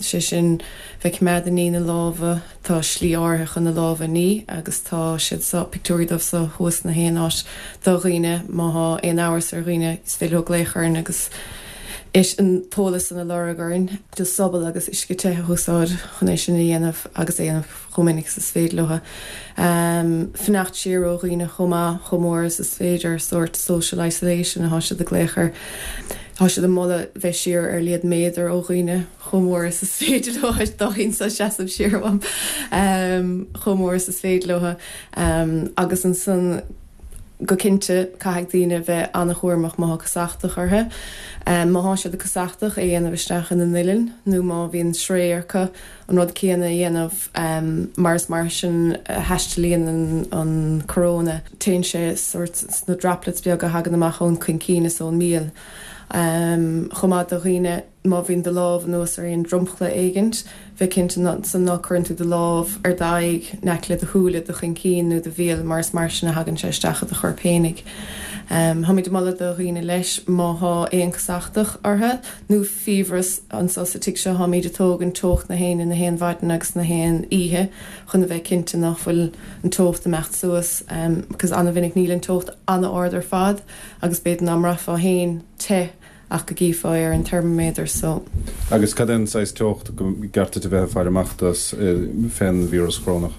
S6: sé sin bheith ag coimeád ag ní na lámha, tá slí áirithe chun na lámha a ní agus tá siad so, pictiúirí dóibh so thuas na haon áit do dhaoine, má thá aon amhras ar dhaoine is féidir leo glaoch orainn agus an t-eolas san a lorg orainn. Just sobal agus uisce te a úsáid chun é sin a dhéanamh agus é a dhéanamh chomh minic is is féidir leo. Fanacht siar ó dhaoine chomh maith, chomh mór is is féidir, sórt social isolation atá siad ag glaoch air. Tá siad ag moladh bheith siar ar a laghad méadar ó dhaoine chomh mór is is féidir leo, Dáithí anseo ag seasamh siar uaim, chomh mór is is féidir leo. Agus ansan go cinnte caithfidh daoine bheith an-chúramach má thá casachtach orthu. Má thá siad casachtach, é a dhéanamh isteach ina n-uillinn nó má bhíonn sraoth orthu an rud céanna a dhéanamh mar is mar sin a thaistealaíonn an coróna. Téann sé sórt sna droplets beaga a thagann amach ón chuincín is ón míol. Chomh maith do dhaoine. má bhíonn do lámh anuas ar aon dromchla éigint, bheith cinnte ansan ná cuireann tú do lámh ar d'aghaidh, in aice le do shúile, do choincín nó do bhéal mar is mar sin a thagann sé isteach i do chorp fhéinig. Táimid ag moladh do dhaoine leis má thá aon casachtach orthu nó fiabhras anso sa tigh seo táimid ag tógaint teocht na héinne na haon mhaidin agus na haon oíche chun a bheith cinnte nach bhfuil an teocht imeacht suas because ana-mhinic níl an teocht ana-ard ar fad agus b'fhéidir ná mbraithfeá féin te ach go gcífeá é ar an teirmiméadar so.
S5: Agus cad é an saghas teocht go gceart duit a bheith ag faire amach dó fén víreas corónach?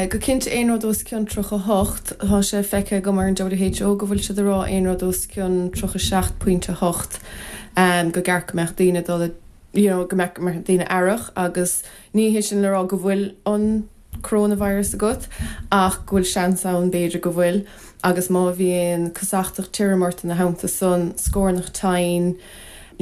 S6: Go cinnte aon rud os cionn tríocha hocht. Tá sé feicthe agam ar an WHO go bhfuil siad ag rá aon rud os cionn tríocha seacht pointe hocht go gceart go mbeadh daoine dul you know go mbeadh daoine aireach agus ní hé sin le rá go bhfuil an coronavirus agat ach go bhfuil seans ann b'fhéidir go bhfuil agus má bhíonn casachtach tirim ort ina theannta san, scornach tinn,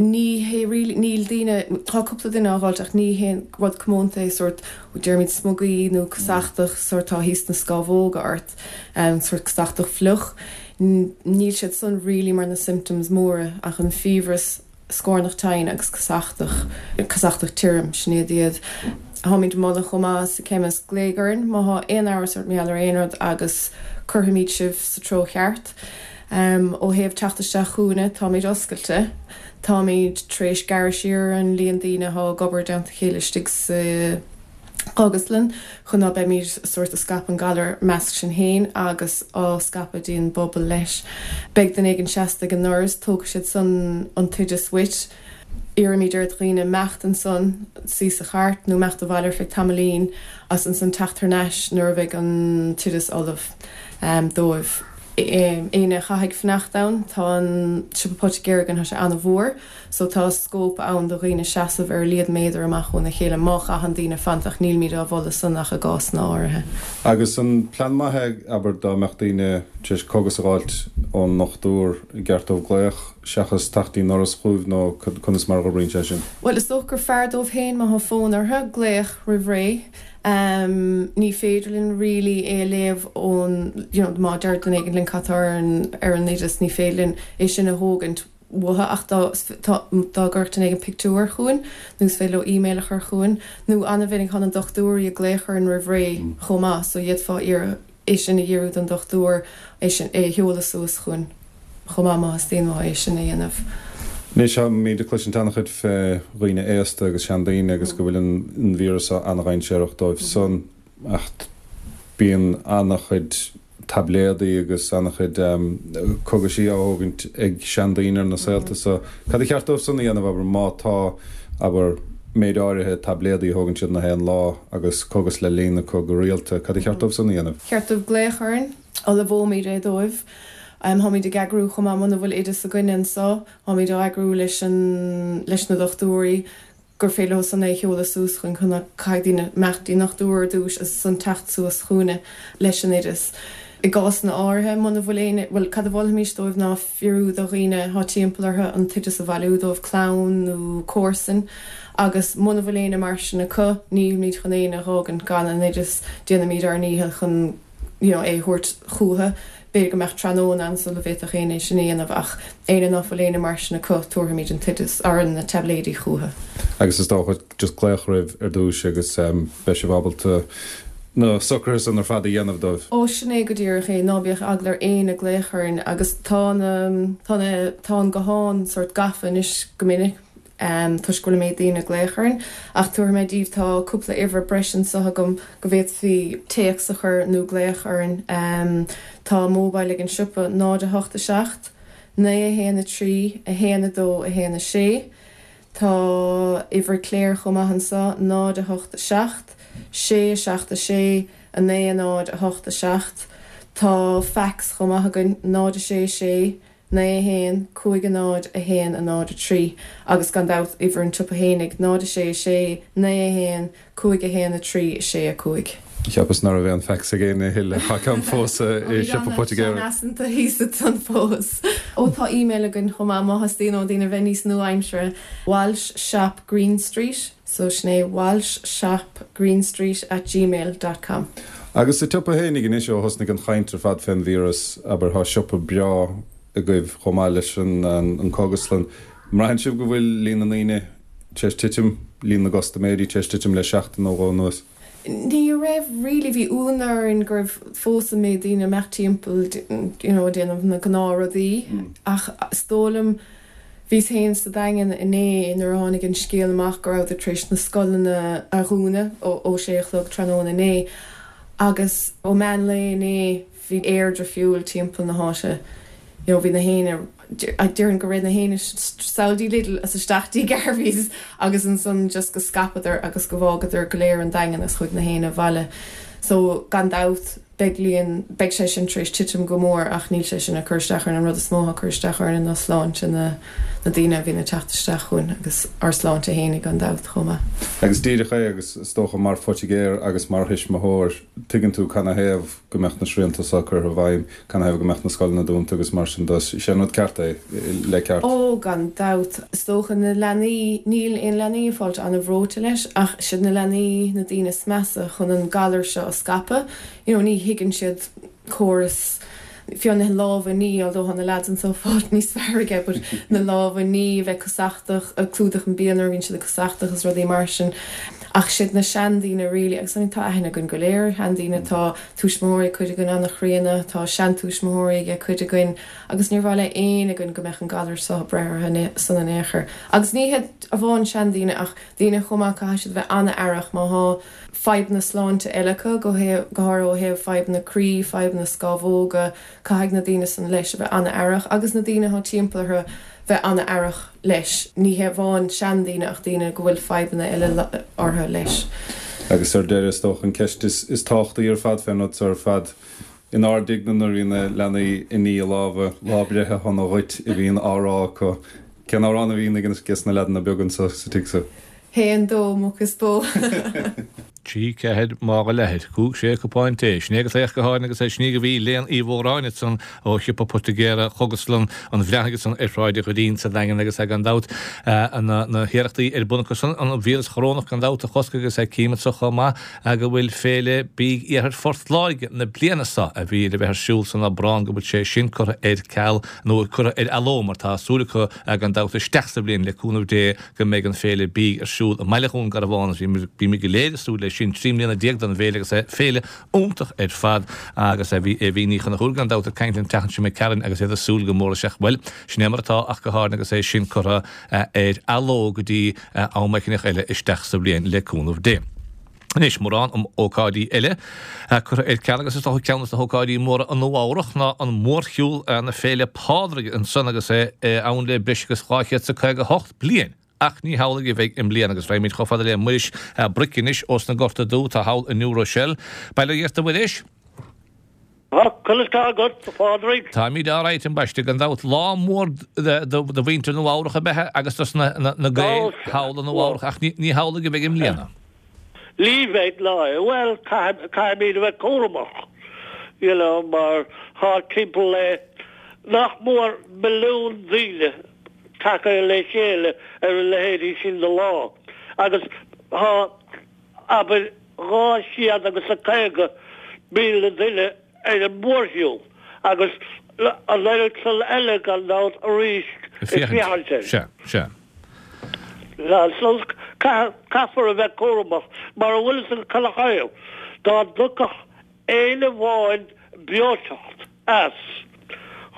S6: ní hé really, níl daoine, tá cúpla duine á dh'fháilt ach ní haon rud comónta é sórt, deirimid smugaí nó casachtach sórt tá thíos na scámhóga ort, sórt casachtach fliuch, níl siad san really mar na symptoms móra ach an fiabhras, scornach tinn agus casachtach, casachtach tirim, sin iad iad. Táimid ag moladh chomh maith sa chemist glaoigh orainn má thá aon amhras ort mar gheall ar aon rud agus cuirfimid sibh sa treo cheart. Ó thaobh teacht isteach chugainne, táimid oscailte. Táimid tar éis gearradh siar ar an líon daoine athá ag obair i dteannta a chéile istigh sa chógaslann chun ná beimid sórt ag scaipeadh an galar measc sinn féin agus á scaipeadh dtí'n bpobal leis. Beidh duine éigin seasta ag an ndoras, tógfaidh siad san an t-oideas uait. Iarraimid ar dhaoine imeacht ansan, suí sa chairt nó imeacht abhaile ar feadh tamaillín agus ansan teacht thar n-ais nuair a bheidh an t-oideas ullamh dóibh. Éinne a chaithfidh fanacht ann, tá an siopa poitigéara againn, tá sé an-mhór so tá scóip ann do dhaoine seasamh ar a laghad méadar amach óna chéile má chaitheann daoine fanacht ach nílimid á mholadh san ach i gcásanna áirithe.
S5: Agus an plean maith é, abair, dá mbeadh daoine tar éis cógas a dh'fháilt ón ndochtúir, i gceart dóibh glaoch seachas teacht dtí'n ndoras chugaibh nó conas mar a dh'oibríonn sé sin?
S6: Bhuel, is dócha gur fearr dóibh féin má thá fonn orthu glaoch roimh ré. Ní féidir linn really é a léamh ón, you know, má deir duine éigin linn cad tá ar an, ar an oideas, ní féidir linn é sin a thógaint uathu ach dá, dá, dá gcuirfeadh duine éigin pictiúr chugainn nó is féidir leo email a chur chugainn nó an-mhinic tá na dochtúirí ag glaoch orainn roimh ré chomh maith so d'fhéadfá iarraidh é sin a dhíriú don dochtúir, é sin, é a sheoladh suas chugainn chomh maith má theastaíonn uathu é sin a dhéanamh.
S5: Anois táimid ag cloisint an-chuid fé dhaoine aosta agus seandaoine agus go bhfuil an víreas seo an-dhainséarach dóibh san ach bíonn an-chuid taibléadaí agus an-chuid cogaisí á thógaint ag seandaoine ar na saolta so. Cad a cheart dóibh san a dhéanamh, abair, má tá, abair, méid áirithe taibléadaí a thógann siad na haon lá agus cogas le líonadh acu go rialta, cad a cheart dóibh san a dhéanamh?
S6: Cheart dóibh glaoch orainn, ullmhóimid é dóibh. Táimid ag eagrú chomh maith muna bhfuil oideas againne anso, táimid á eagrú leis an, leis na dochtúirí gur féidir leo san é a sheoladh suas chugainn chun ná caithfidh daoine imeacht dtí an ndochtúir ar dtúis agus ansan teacht suas chugainne leis an oideas. I gcásanna áirithe, muna bhfuil éinne, bhuel, cad a mholfaimis dóibh ná fiafraí do dhaoine athá timpeall orthu an t-oideas a bhailiú dóibh, clann nó comharsain, agus muna bhfuil éinne mar sin acu, nílimid chun éinne a dh'fhágaint gan an oideas, déanfaimid ár ndícheall chun you know é a thabhairt chúthu. B'fhéidir go mbeadh tráthnóna ann sula bhféadfadh éinne é sin a dhéanamh ach éinne ná fuil éinne mar sin acu, tabharfaimid an t-oideas, or na taibléidí chúthu.
S5: Agus is dócha just glaoch roimh ar dtúis agus beidh sibh ábalta na socruithe san ar fad a dhéanamh dóibh.
S6: Ó sin é go díreach é, ná bíodh eagla ar éinne glaoch orainn agus tá na, tá na, tá an guthán sórt gafa anois go minic. toisc go bhfuil an méid daoine ag glaoch orainn, ach tabharfaidh mé daoibh, tá cúpla uimhir breise anseo agam go bhféadfaí téacs a chur nó glaoch orainn. Tá mobile ag an siopa, náid a hocht a seacht, naoi a haon a trí, a haon a dó, a haon a sé. Tá uimhir Claire chomh maith anseo, náid a hocht a seacht, sé a seacht a sé, a naoi a náid, a hocht a seacht. Tá fax chomh maith againn, náid a sé a sé, naoi a haon, cúig a náid, a haon a náid a trí agus gan dabht uimhir an tsiopa fhéinig, náid a sé a sé, naoi a haon, cúig a haon a trí, a sé a cúig.
S5: Cheapas ná raibh aon fax ag éinne a thuilleadh. Tá ceann fós i siopa poitigéara.
S6: Sean-fhaiseanta thíos ansan fós. Ó tá email againn chomh maith má theastaíonn ó daoine bheith níos nua-aimseartha, Walsh Shop Green Street, so sin é Walsh Shop Green Street at gmail dot com.
S5: Agus sa tsiopa fhéinig anois ó thosnaigh an chaint ar fad fén víreas, abair, tá siopa breá agaibh chomh maith leis an cógaslann. An mbraitheann sibh go bhfuil líon na ndaoine tar éis titim, líon na gcustaiméirí tar éis titim le seachtain nó dhó anuas?
S6: Ní raibh really, bhí ionadh orainn go raibh fós an méid daoine amach timpeall you know, déanamh na gnáthrudaí ach is dóigh liom bhíos féin sa Daingean inné nuair a tháinig an scéal amach go rabhadar tar éis na scoileanna a dhúnadh ó, ó sé a chlog tráthnóna inné agus ó meán lae inné bhí aer difriúil timpeall na háite. You know, bhí na héinne déarfainn go raibh na héinne sall dtí Lidl is isteach dtí Garvey's agus ansan just go scaipeadar agus go bhfágadar go léir an Daingean is chuaigh na héinne abhaile. So gan dabht beidh líon beidh sé sin tar éis titim go mór ach níl sé sin ag cur isteach orainn an rud is mó atá ag cur isteach orainn ná sláinte na na daoine a bhíonn ag teacht isteach chugainn agus ár sláinte fhéinig gan dabht chomh maith.
S5: Agus díreach é agus is dócha mar phoitigéir agus mar thuismitheoir tuigeann tú canathaobh go mbeadh na srianta seo curtha i bhfeidhm, canathaobh go mbeadh na scoileanna dúnta agus mar sin de. Is é an rud ceart é, le ceart.
S6: Ó, gan dabht. Is dócha na leanaí, níl aon leanaí ag fáilt an-bhreoite leis ach siad na leanaí na daoine is measa chun an galar seo a scaipeadh. You know, ní thuigeann siad córas fiú na lámha a ní, although tá na lads anseo ag fáilt níos fearr aige, but na lámha a ní, a bheith cosachtach, ag clúdach an bia nuair a bhíonn siad ag cosachtach is rudaí mar sin. Ach siad na seandaoine really, agus I mean tá aithne againn go léir ar sheandaoine, tá tuismitheoirí cuid againn an-chríonna, tá seantuismitheoirí ag cuid againn agus níor mhaith le éinne againn go mbeadh an galar seo ag breith orthu san in aon chor. Agus ní hiad amháin seandaoine ach daoine chomh maith caithfidh siad bheith an-aireach má thá fadhbanna sláinte eile acu, go háirithe ó thaobh fadhbanna croí, fadhbanna scámhóga, caithfidh na daoine san leis a bheith an-aireach agus na daoine atá timpeall orthu bheith an-aireach leis, ní hé amháin seandaoine ach daoine go bhfuil fadhbanna eile orthu leis.
S5: Agus ar deireadh, is dócha an ceist is tábhachtaí ar fad fén rud seo ar fad, inár dtigh-ne nuair a bhíonn na leanaí ag ní a lámha, lá breithe shona dhuit a bhíonn á rá acu. Cén amhrán a bhíonn ages na leaideanna beaga anso sa tigh so?
S6: Haon, dó, muc is bó.
S1: Trí, ceathair, mála leathair, cúig, sé, cupán tae. Sin é go taobh go háirithe agus é sin í go bhí Léan Uí Mhóráin ansan ó shiopa poitigéara Chógaslann an Bhreathnaigh ansan ar Shráid an Dhoirín sa Daingean agus é gan dabht na hiarrachtaí ar bun acu san an víreas chorónach gan dabht a chosc agus é cím anso chomh maith go bhfuil Féile Bídh Iarthar Phort Láirge na bliana seo a bhí le bheith ar siúl san Aibreán go bhfuil sé sin curtha ar ceal nó curtha ar athló mar tá súil acu gan dabht isteach sa bhliain le cúnamh Dé go mbeidh an Féile Bídh ar siúl i mBaile Dhún Garbhán agus bímid go léir ag súil leis sin. Trí mbliana déag don bhféile agus féile iontach ar fad agus bhí Aoibhín Ní Chonchúir gan dabht ag caint an tseachtain seo imigh tharainn agus iad ag súil go mór leis ach bhuel, sin é mar atá ach go háirithe agus é sin curtha ar athló go dtí am eicíneach eile isteach sa bhliain le cúnamh Dé. Anois, mórán ócáidí eile curtha ar ceal agus is dócha ceann de na hócáidí móra i Nua Eabhrach ná an mórshiúl na Féile Pádraig ansan agus é ann le breis agus dhá chéad is a caoga hocht bliain. Ach ní hamhlaidh a bheidh i mbliana agus raghaimid chomh fada le Muiris Bric anois ós na Gorta Dubha atá thall i New Rochelle. Bail ó Dhia ort a Mhuiris.
S7: Tá, conas tá agat, a Phádraig?
S1: Táimid alright, ambaiste, gan dabht. Lá mór do mhuintir Nua Eabhrach ab ea agus dos na Gaeil thall i Nua Eabhrach ach ní hamhlaidh a bheidh i mbliana.
S7: Ní bheidh, ná. Bhuel, caithfimid a bheith cúramach, you know, mar tá timpeall le nach mór milliún daoine tagtha le chéile ar a leithéidí sin de lá agus tá, abair, dhá chéad agus a caoga míle duine ar an mórshiúl agus an oiread san eile gan dabht arís ag féachaint air.
S1: Sea, sea.
S7: So caithfear a bheith cúramach mar a bhfuil fhios ag chuile Ghael, dá dtiocfadh éinne amháin breoiteacht as,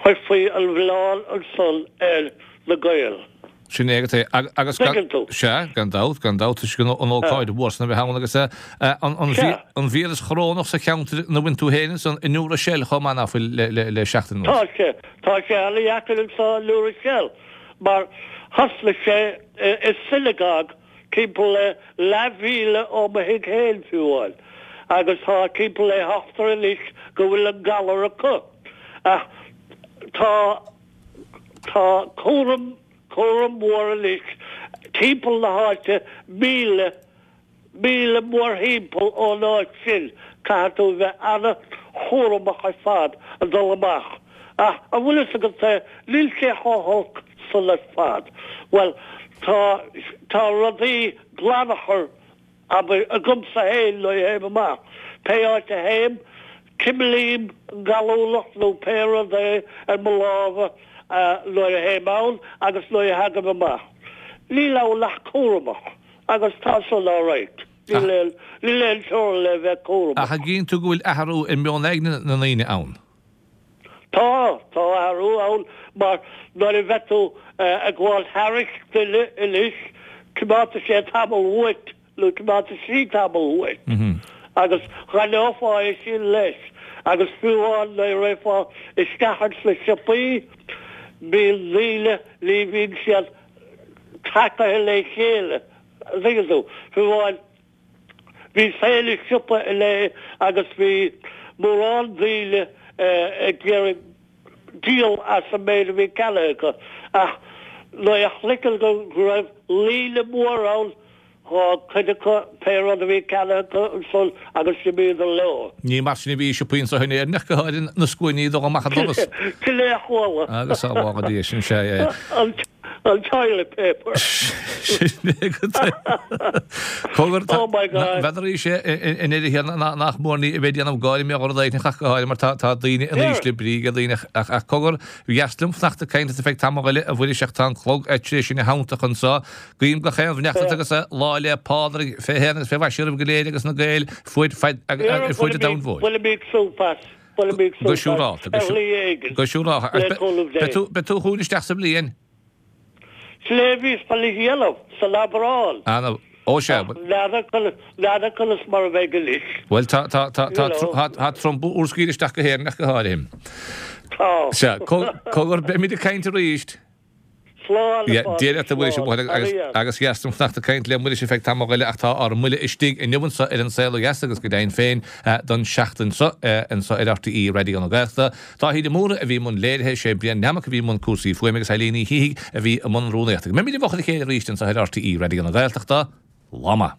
S7: chuirfí an mhilleán ansan ar na Gaeil.
S1: Sin é agat é. Agus gan,
S7: Tuigeann tú.
S1: sea, gan dabht, gan dabht, toisc an ócáid mhór san a bheith ann agus an, an víreas chorónach sa cheantar ina bhfuil tú féin ansan i New Rochelle chomh maith ná fuil le, le, le seachtain
S7: Tá
S1: anuas.
S7: sé, tá sé ana-dheacair anso i New Rochelle mar thosnaigh sé i synagogue timpeall le leathmhíle ó mo thigh féin fiú amháin agus tá timpeall le hochtar anois go bhfuil an galar acu. Ach tá, tá cúram, cúram mór anois timpeall na háite, míle, míle mórthimpeall ón áit sin, caithfidh tú a bheith ana-chúramach ar fad ag dul amach. Ach an bhfuil fhios agat é, níl sé chomh holc san ar fad. Bhuel, tá, tá rudaí glanachar, abair, agamsa féin nuair a théim amach. Pé áit a théim, cimlím an gallúnach nó pé rud é ar mo lámha nuair a théim ann agus nuair a thagaim amach. Níl ann ach cúramach agus tá san alright. Níl aon níl aon teorainn le bheith cúramach.
S1: Ach an gcíonn tú go bhfuil athrú i meon aigne na ndaoine ann?
S7: Tá, tá athrú ann mar nuair a bheith tú ag gabháil thairis duine anois, coimeádfaidh sé tamall uait nó coimeádfaidh sí tamall uait agus dh'aithneofá é sin leis agus fiú amháin nuair a rachfá isteach ins na siopaí, bíonn daoine, ní bhíonn siad tacaithe le chéile, an dtuigeann tú, fiú amháin bhíos féin i siopa inné agus bhí mórán daoine ag iarraidh díol as an méid a bhí ceannaithe acu ach nuair a chloiceann go raibh líne mhór ann D'fhág cuid acu pé rud a bhí ceannaithe acu ansan agus d'imíodar leo.
S1: Ní mar sin a bhí i siopaí anso in Éirinn ach go háirithe na scuainí ag dul amach an doras.
S7: Sin é a chuala.
S1: Agus á bhfága Dia, sin sea é.
S7: An toilet paper.
S1: Sin é go Cogar,
S7: Oh my God.
S1: N'fheadar sé i ndeireadh thiar nach mór ní a bheith ag déanamh gáire mé rud éigin ach go háirithe mar tá tá daoine in ísle brí ag daoine ach ach cogar, b'dheas liom fanacht ag caint leat ar feadh tamall eile a Mhuiris ach tá an clog tar éis sinn a theanntadh anso. Guím gach aon bheannacht ort agus Lá 'le Pádraig fé shéan agus fé mhaise oraibh go léir agus na Gaeil fuaid faid ar fuaid an domhain mhóir.
S7: Bainimid súp as, bainimid
S1: Go
S7: súp as
S1: siúrálta,
S7: ar shlí éigin,
S1: go siúrálta.
S7: le cúnamh Dé.
S1: Beidh tú, beidh tú chugainn isteach sa bhliain?
S7: Sin é a bhíos le dhéanamh san Aibreán.
S1: Ana, ó sea.
S7: Ach n'fheadar conas, n'fheadar conas mar a bheidh anois.
S1: Bhuel tá, tá, tá, tá,
S7: You know.
S1: tá, tá Trump úr scaoileadh isteach go hÉirinn ach go háirithe.
S7: Tá.
S1: Sea, cogar, beimid ag caint arís.
S7: Slán, a Phádraig,
S1: Dia leat a Mhuiris,
S7: slán.
S1: agus agus dheas dom fanacht ag caint le Muiris ar feadh tamall eile ach tá ár mbuille istigh inniu anso ar An Saol Ó Dheas agus go deimhin féin don seachtain seo anso ar RTÉ Raidió na Gaeltachta. Dáithí de Mórdha a bhí i mbun léirithe, sé Brian Nammock a bhí i mbun cúrsaí fuaime agus Eileen Ní Shíthigh a bhí i mbun rúnaíochta. Go mbeimid i bhfochair a chéile arís anso ar RTÉ Raidió na Gaeltachta. Lá maith.